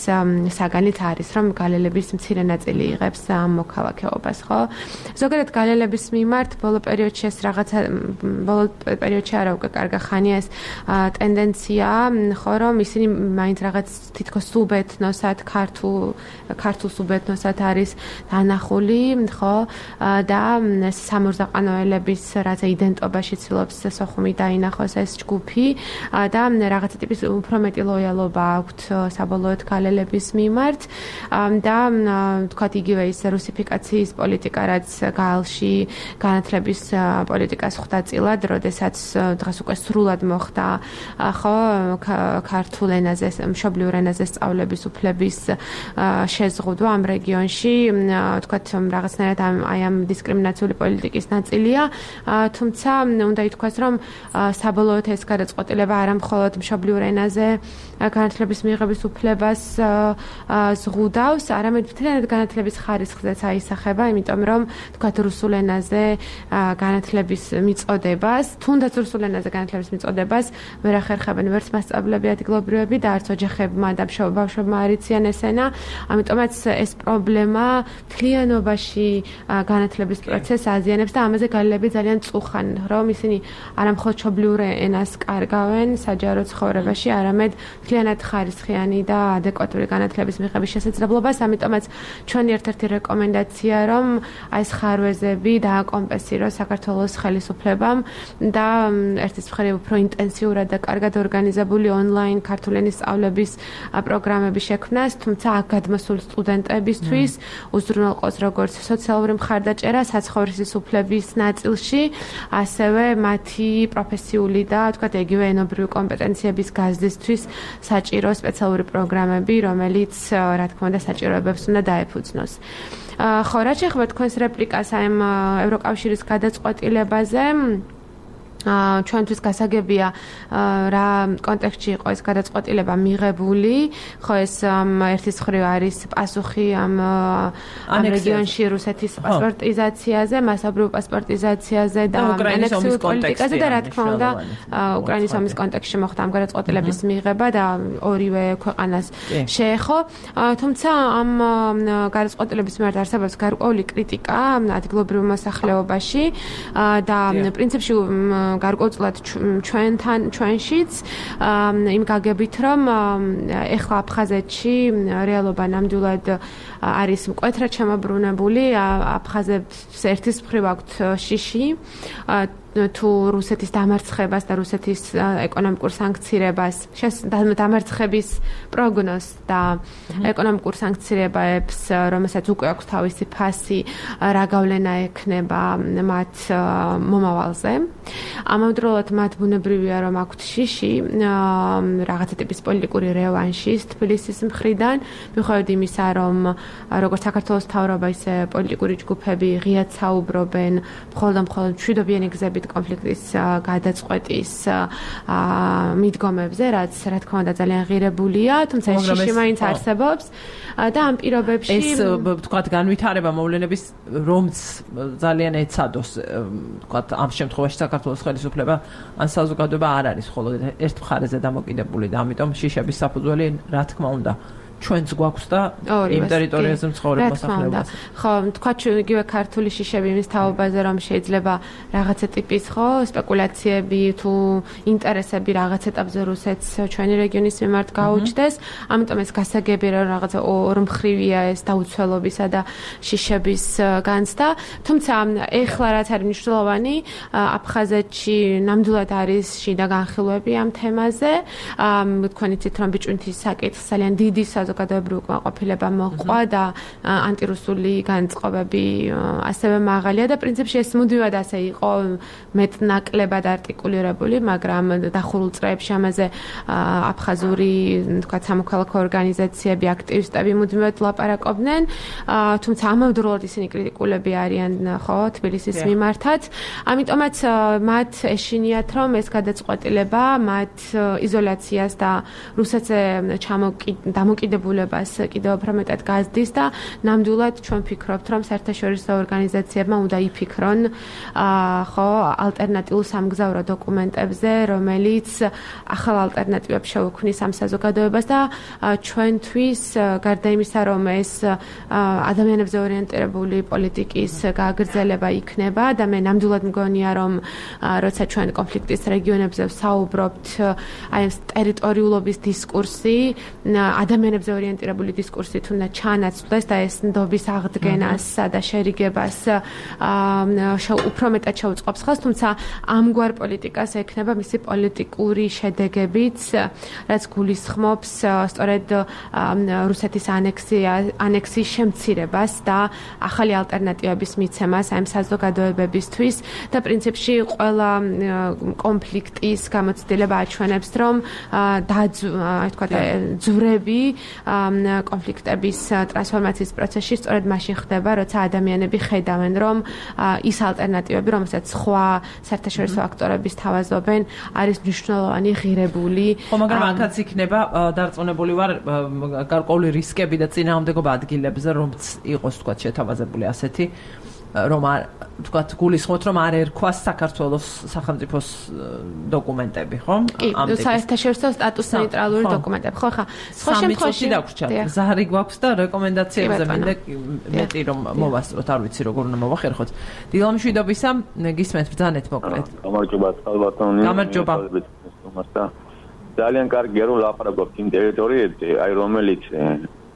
საგანით არის, რომ გალელების მცირე ნაწილი იღებს ამ მოქალაქეობას, ხო? ზოგადად გალელების მიმართ ბოლო პერიოდში ეს რაღაცა ბოლო პერიოდში არა უკვე კარგა ხანია ეს ტენდენცია, ხო, რომ ისინი მაინც რაღაც თითქოს სუბეთნოსად ქართულ სუბეთნოსად არის დანახული, ხო? და სამურზაყანოელების რაღაცა იდენტობაში ცდილობს სოხუმი დაინახოს ეს ჯგუფი და რაღაცა ტიპის უფრო მეტი ლოიალობა აქვთ საბოლოოდ გალელების მიმართ და თქვათ იგივე ის რუსიფიკაციის პოლიტიკა, რაც გაალში განათლების პოლიტიკას ხვდა წილად, როდესაც დღეს უკვე სრულად მოხდა ხო ქართულ ენაზე, მშობლიურ ენაზე სწავლების უფლების შეზღუდვა ამ რეგიონში, თქვათ რაღაცნაირად აი ამ დისკრიმინაციული პოლიტიკის ნაწილია, თუმცა უნდა ითქვას, რომ საბოლოოდ ეს გადაწყვეტილება არა მხოლოდ მშობლიურ ენაზე განათლების მიღების უფლებას ზღუდავს, არამედ მთლიანად განათლების ხარისხზეც აისახება, იმიტომ რომ თქვათ რუსულ ენაზე განათლების მიწოდებას, თუნდაც რუსულ ენაზე განათლების მიწოდებას ვერ ახერხებენ ვერც მასწავლებლები ადგილობრივები და არც ოჯახებმა და ბავშვებმა არ იციან ეს ენა, ამიტომაც ეს პრობლემა მთლიანობაში განათლების პროცესს აზიანებს და ამაზე გალელები ძალიან წუხან, რომ ისინი არა მხოლოდ მშობლიურ ენას კარგავენ საჯარო ცხოვრებაში, არამედ მთლიანად ხარისხიანი და ადეკვატური განათლების მიღების შესაძლებლობას, ამიტომაც ჩვენი ერთ-ერთი რეკომენდაცია, რომ აი ეს ხარვეზები დააკომპენსიროს საქართველოს ხელისუფლებამ და ერთის მხრივ უფრო ინტენსიურად და კარგად ორგანიზებული ონლაინ ქართული ენის სწავლების პროგრამები შექმნას, თუმცა აქ გადმოსულ სტუდენტებისთვის უზრუნველყოს როგორც სოციალური მხარდაჭერა საცხოვრისის უფლების ნაწილში, ასევე მათი პროფესიული და თქვათ იგივე ენობრივი კომპეტენციების გაზრდისთვის საჭირო სპეციალური პროგრამები, რომელიც რა თქმა უნდა საჭიროებებს უნდა დაეფუძნოს. ხო, რაც შეეხება თქვენს რეპლიკას აი ამ ევროკავშირის გადაწყვეტილებაზე, ჩვენთვის გასაგებია რა კონტექსტში იყო ეს გადაწყვეტილება მიღებული, ხო ეს ერთის მხრივ არის პასუხი ამ რეგიონში რუსეთის პასპორტიზაციაზე, მასობრივ პასპორტიზაციაზე და ანექსიურ პოლიტიკაზე და რა თქმა უნდა უკრაინის ომის კონტექსტში მოხდა ამ გადაწყვეტილების მიღება და ორივე ქვეყანას შეეხო, თუმცა ამ გადაწყვეტილების მიმართ არსებობს გარკვეული კრიტიკა ადგილობრივ მოსახლეობაში და პრინციპში გარკვეულწილად ჩვენშიც იმ გაგებით, რომ ეხლა აფხაზეთში რეალობა ნამდვილად არის მკვეთრად შემოbrunებული, აფხაზებს ერთის მხრივ აქვთ შიში თუ რუსეთის დამარცხებას და რუსეთის ეკონომიკურ სანქცირებას, დამარცხების პროგნოზს და ეკონომიკურ სანქცირებებს, რომელსაც უკვე აქვს თავისი ფასი, რა გავლენა ექნება მათ მომავალზე. ამავდროულად მათ ბუნებრივია, რომ აქვთ შიში რაღაცა ტიპის პოლიტიკური რევანშის თბილისის მხრიდან, მიუხედავად იმისა, რომ როგორც საქართველოს მთავრობა, ისე პოლიტიკური ჯგუფები ღიად საუბრობენ მხოლოდ მშვიდობიანი გზებით კონფლიქტის გადაწყვეტის მიდგომებზე, რაც რა თქმა უნდა ძალიან ღირებულია, თუმცა ეს შიში მაინც არსებობს და ამ პირობებში ეს თქვათ განვითარება მოვლენების რომც ძალიან ეცადოს, თქვათ ამ შემთხვევაში საქართველოს ხელისუფლება ან საზოგადოება არ არის მხოლოდ ერთ მხარეზე დამოკიდებული და ამიტომ შიშების საფუძველი რა თქმა უნდა ჩვენც გვაქვს და იმ ტერიტორიაზე მცხოვრებ მოსახლეობას. ხო, თქვა იგივე ქართული შიშები იმის თაობაზე, რომ შეიძლება რაღაცა ტიპის ხო სპეკულაციები თუ ინტერესები რაღაც ეტაპზე რუსეთს ჩვენი რეგიონის მიმართ გაუჩნდეს, ამიტომ ეს გასაგები რომ რაღაცა ორმხრივია ეს დაუცველობისა და შიშების განცდა, თუმცა ეხლა რაც არის მნიშვნელოვანი, აფხაზეთში ნამდვილად არის შიდა განხილვები ამ თემაზე, თქვენ იცით რომ ბიჭვინთის საკითხს ძალიან დიდი საზოგადოებრივი უკმაყოფილება მოყვა და ანტირუსული განწყობები ასევე მაღალია და პრინციპში ეს მუდმივად ასე იყო მეტნაკლებად არტიკულირებული, მაგრამ დახურულ წრეებში ამაზე აფხაზური თქვათ სამოქალაქო ორგანიზაციები, აქტივისტები მუდმივად ლაპარაკობდნენ, თუმცა ამავდროულად ისინი კრიტიკულები არიან ხო თბილისის მიმართაც. ამიტომაც მათ ეშინიათ რომ ეს გადაწყვეტილება მათ იზოლაციას და რუსეთზე დამოკიდებულებას კიდევ უფრო მეტად გაზრდის და ნამდვილად ჩვენ ვფიქრობთ რომ საერთაშორისო ორგანიზაციებმა უნდა იფიქრონ ხო ალტერნატიულ სამგზავრო დოკუმენტებზე, რომელიც ახალ ალტერნატივებს შეუქმნის ამ საზოგადოებას და ჩვენთვის გარდა იმისა რომ ეს ადამიანებზე ორიენტირებული პოლიტიკის გაგრძელება იქნება და მე ნამდვილად მგონია რომ როცა ჩვენ კონფლიქტის რეგიონებზე ვსაუბრობთ აი ეს ტერიტორიულობის დისკურსი ადამიანებზე ორიენტირებული დისკურსით უნდა ჩანაცვლდეს და ეს ნდობის აღდგენას და შერიგებას უფრო მეტად შეუწყობს ხელს, თუმცა ამგვარ პოლიტიკას ექნება მისი პოლიტიკური შედეგებიც, რაც გულისხმობს სწორედ რუსეთის ანექსიის შემცირებას და ახალი ალტერნატივების მიცემას ამ საზოგადოებებისთვის და პრინციპში ყველა კონფლიქტის გამოცდილება აჩვენებს, რომ ძვრები კონფლიქტების ტრანსფორმაციის პროცესში სწორედ მაშინ ხდება, როცა ადამიანები ხედავენ, რომ ის ალტერნატივები, რომელსაც სხვა საერთაშორისო აქტორების თავაზობენ, არის მნიშვნელოვანი, ღირებული. ხო, მაგრამ აქაც იქნება დარწმუნებული ვარ გარკვეული რისკები და წინააღმდეგობა ადგილებზე, რომც იყოს თქვა შეთავაზებული ასეთი რომ თქვათ გულისხმობთ რომ არ ერქვას საქართველოს სახელმწიფოს დოკუმენტები, ხო? ამ საერთაშორისო სტატუს ნეიტრალური დოკუმენტები. ხო, ხა. სხვა შემთხვევაში დაგვრჩა. ზარი გვაქვს და რეკომენდაციებზე მინდა მეტი რომ მოვასწროთ, არ ვიცი როგორ უნდა მოვახერხოთ. დილა მშვიდობისა, გისმენთ ბრძანეთ მოკლედ. გამარჯობა, ალბათონი. გამარჯობა. ძალიან კარგია რომ ლაპარაკობთ იმ ტერიტორიებზე, აი რომელიც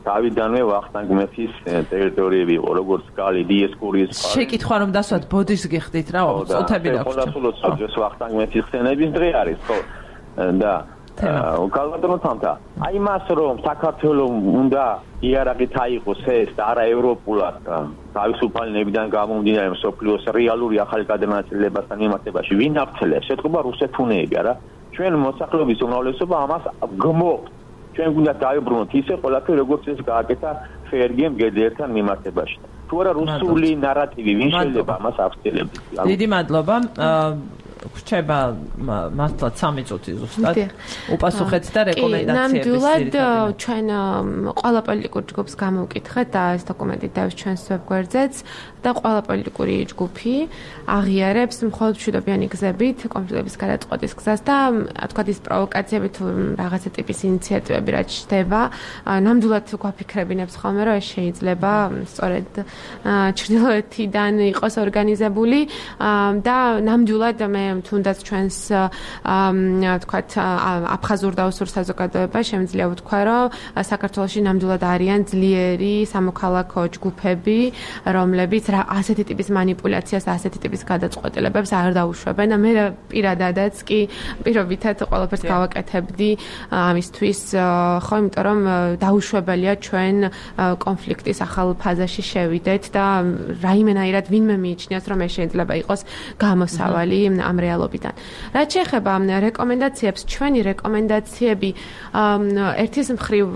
თავიდანვე ვახტანგ მეფის ტერიტორიები იყო, როგორც კალი, დიესკურის პარკი. შეკითხვა რომ დასვათ ბოდის გიხდით რა, წუთები დაგვჭირდა. ხოლმე ეს ვახტანგ მეფის ხსენების დღე არის, ხო? და უკალბატონო თამთა, აი მას რომ საქართველოს უნდა იარაღით აიღოს ეს და არა ევროპულად თავისუფალი ნებიდან გამომდინარე მსოფლიოს რეალური ახალი გადანაწილებასთან მიმართებაში ვინ აღწელებს? ეთქობა რუსეთუნეები, არა? ჩვენ მოსახლეობის უმრავლესობა ამას გმობთ. ჩვენ გვინდა დაიბრუნოთ ისე ყველაფერი როგორც ეს გააკეთა ფერგემ გედერთან მიმართებაში. თუ არა რუსული ნარატივი ვინ შეიძლება ამას აღწელებს? დიდი მადლობა. გრჩება მართლაც 3 წუთი ზუსტად. უპასუხეთ და რეკომენდაციების ნამდვილად ჩვენ ყველა პოლიტიკურ ჯგუფს გამოვკითხეთ და ეს დოკუმენტი დავის ჩვენს ვებგვერდზეც და ყველა პოლიტიკური ჯგუფი აღიარებს მხოლოდ მშვიდობიანი გზებით კონფლიქტების გადაწყვეტის გზას და თქვათ ის პროვოკაციები თუ რაღაცა ტიპის ინიციატივები რაც ჩდება, ნამდვილად გვაფიქრებინებს ხოლმე რომ ეს შეიძლება სწორედ ჩრდილოეთიდან იყოს ორგანიზებული და ნამდვილად მე თუნდაც ჩვენს თქვათ აფხაზურ და ოსურ საზოგადოება შემიძლია ვთქვა რომ საქართველოში ნამდვილად არიან ძლიერი სამოქალაქო ჯგუფები, რომლებიც ასეთი ტიპის манипуляციას, ასეთი ტიპის გადაწყვეტილებებს არ დაუშვებენ და მე პირადადაც კი პირობითად ყველაფერს გავაკეთებდი ამისთვის, ხო, იმიტომ რომ დაუშვებელია ჩვენ კონფლიქტის ახალ ფაზაში შევიდეთ და რაიმენაირად ვინმე მიიჩნიოს რომ ეს შეიძლება იყოს გამოსავალი ამ რეალობიდან. რაც შეეხება რეკომენდაციებს, ჩვენი რეკომენდაციები ერთის მხრივ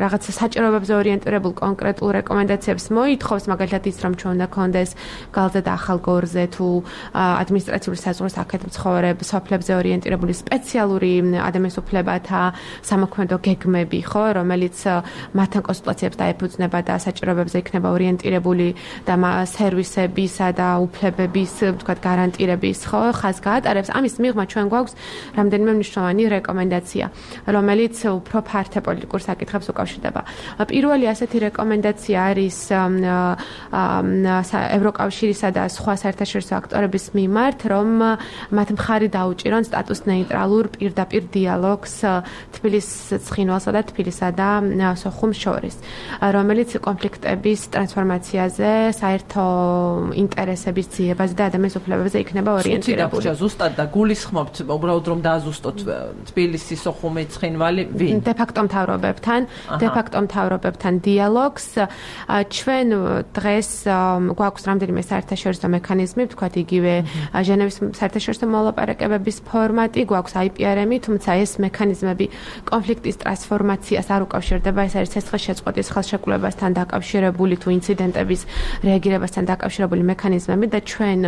რაღაცა საჭიროებებზე ორიენტირებულ კონკრეტულ რეკომენდაციებს მოითხოვს, მაგალითად ის რომ ჩვენ უნდა გქონდეს გალზე და ახალ გორზე თუ ადმინისტრაციული საზღვრის აქეთ მცხოვრებ სოფლებზე ორიენტირებული სპეციალური ადამიანის უფლებათა სამოქმედო გეგმები, ხო, რომელიც მათთან კონსულტაციებს დაეფუძნება და საჭიროებებზე იქნება ორიენტირებული და სერვისებისა და უფლებების, თქვათ, გარანტირების, ხო, ხაზს გაატარებს. ამის მიღმა ჩვენ გვაქვს რამდენიმე მნიშვნელოვანი რეკომენდაცია, რომელიც უფრო ფართე პოლიტიკურ საკითხებს უკავშირდება. პირველი ასეთი რეკომენდაცია არის ევროკავშირისა და სხვა საერთაშორისო აქტორების მიმართ, რომ მათ მხარი დაუჭირონ სტატუს ნეიტრალურ პირდაპირ დიალოგს თბილისის ცხინვალსა და თბილისსა და სოხუმს შორის, რომელიც კონფლიქტების ტრანსფორმაციაზე, საერთო ინტერესების ძიებაზე და ადამიანის უფლებებზე იქნება ორიენტირებული. ხუთი დაგვრჩა ზუსტად და გულისხმობთ უბრალოდ რომ დააზუსტოთ თბილისის ოხუმი ცხინვალი ვინ? დე-ფაქტო მთავრობებთან დიალოგს ჩვენ დღეს გვაქვს რამდენიმე საერთაშორისო მექანიზმი, ვთქვათ იგივე ჟენევის საერთაშორისო მოლაპარაკებების ფორმატი, გვაქვს IPRM-ი, თუმცა ეს მექანიზმები კონფლიქტის ტრანსფორმაციას არ უკავშირდება, ეს არის ცეცხლშეწყვეტის ხელშეკრულებასთან დაკავშირებული თუ ინციდენტების რეაგირებასთან დაკავშირებული მექანიზმები და ჩვენ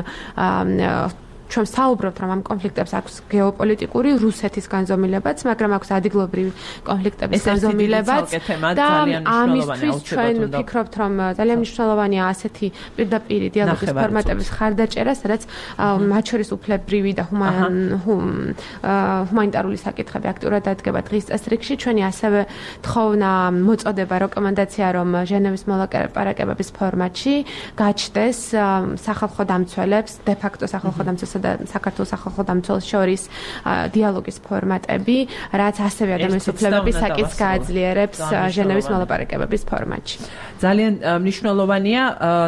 საუბრობთ, რომ ამ კონფლიქტებს აქვს გეოპოლიტიკური რუსეთის განზომილებაც, მაგრამ აქვს ადგილობრივი კონფლიქტების განზომილებაც და ამისთვის ჩვენ ვფიქრობთ, რომ ძალიან მნიშვნელოვანია ასეთი პირდაპირი დიალოგის ფორმატების ხარდაჭერა, სადაც მათ შორის უფლებრივი და ჰუმანიტარული საკითხები აქტიურად დადგება დღის წესრიგში. ჩვენი ასევე თხოვნა მოწოდება რეკომენდაცია, რომ ჟენევის მოლაპარაკებების ფორმატში გაჩნდეს სახალხო დამცველებს, დე-ფაქტო სახალხო დამცველებს და საქართველოს სახალხო დამცველს შორის დიალოგის ფორმატები, რაც ასევე ადამიანის უფლებების საკითხს გააძლიერებს ჟენევის მოლაპარაკებების ფორმატში. ძალიან მნიშვნელოვანია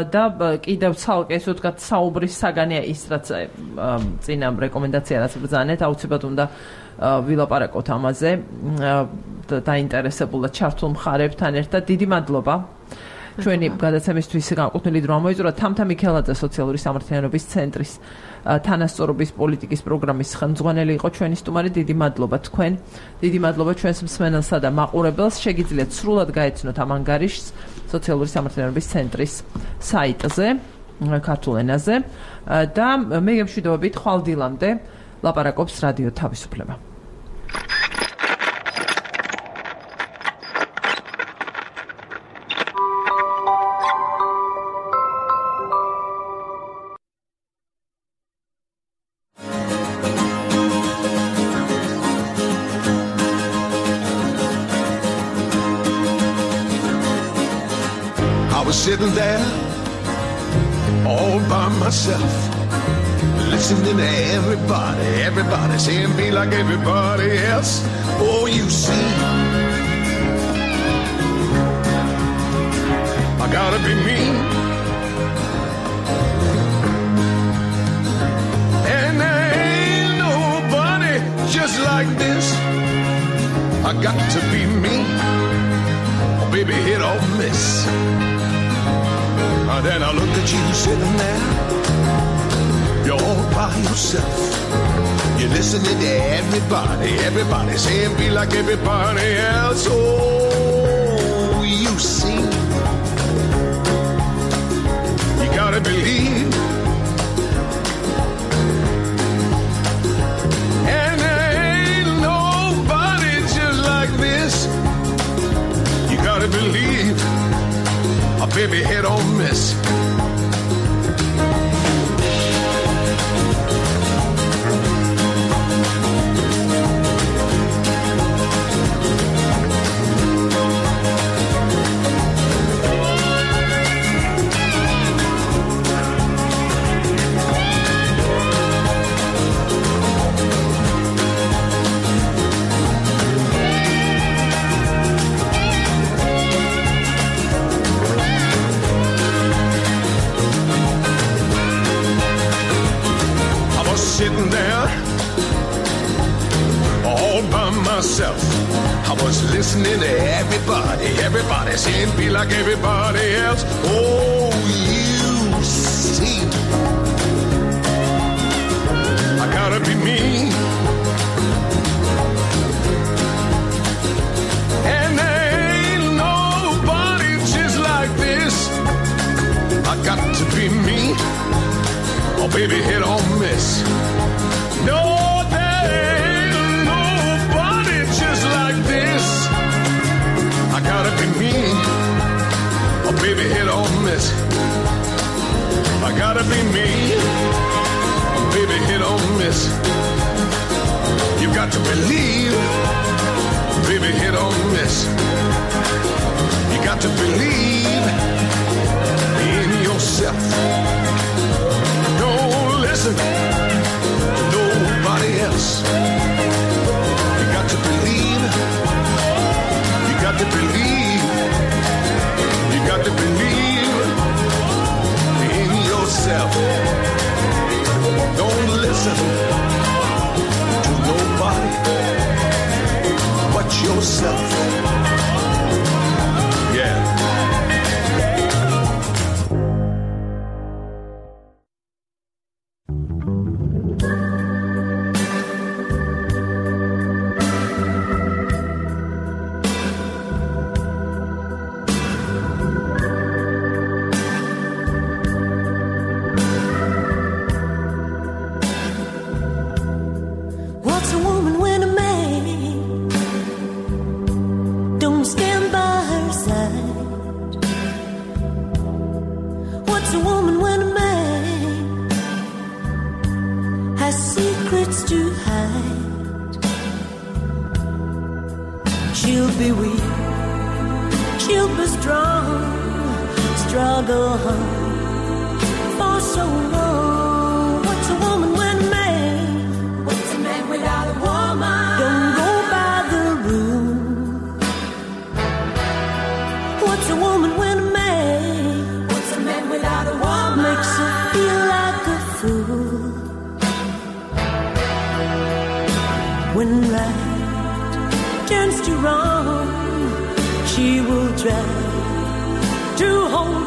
და კიდევ ცალკე ესე ვთქვათ საუბრის საგანია ის, რაც წინა რეკომენდაცია რაც ბრძანეთ, აუცილებლად უნდა ვილაპარაკოთ ამაზე დაინტერესებულად ჩართულ მხარებთან ერთად. დიდი მადლობა. ჩვენი გადაცემისთვის განკუთვნილი დრო მოიწურა თამთა მიქელაძე სოციალური სამართლიანობის ცენტრის თანასწორობის პოლიტიკის პროგრამის ხელმძღვანელი იყო ჩვენი სტუმარი. დიდი მადლობა თქვენ. დიდი მადლობა ჩვენს მსმენელსა და მაყურებელს. შეგიძლიათ სრულად გაეცნოთ ამ ანგარიშს სოციალური სამართლიანობის ცენტრის საიტზე ქართულ ენაზე და მე გემშვიდობებით ხვალ დილამდე ლაპარაკობს რადიო თავისუფლება. Sitting there all by myself, listening to everybody saying be like everybody else. Oh, you see, I gotta be me, and there ain't nobody just like this. I got to be me, oh, baby, hit or miss. Then I look at you sitting there, you're all by yourself. You're listening to everybody saying be like everybody else. Oh, you see, you gotta believe, and there ain't nobody just like this. You gotta believe. A baby hit or miss. Sitting there all by myself, I was listening to everybody saying be like everybody else. Oh, you see, I gotta be me, and there ain't nobody just like this. I got to be me, oh baby, hit or miss. No, there ain't nobody just like this. I gotta be me, oh baby, hit or miss. I gotta be me, oh baby, hit or miss. You got to believe, baby, hit or miss. You got to believe in yourself. Don't listen to nobody else. You got to believe. You got to believe. You got to believe in yourself. Don't listen listen to nobody but yourself. Yeah. What's a woman when a man don't stand by her side? What's a woman when a man has secrets to hide? She'll be weak, she'll be strong, struggle hard for so long. What's a woman when a man? What's a man without a woman? Don't go by the rule. What's a woman when a man? What's a man without a woman? Makes her feel like a fool. When right turns to wrong, she will try to hold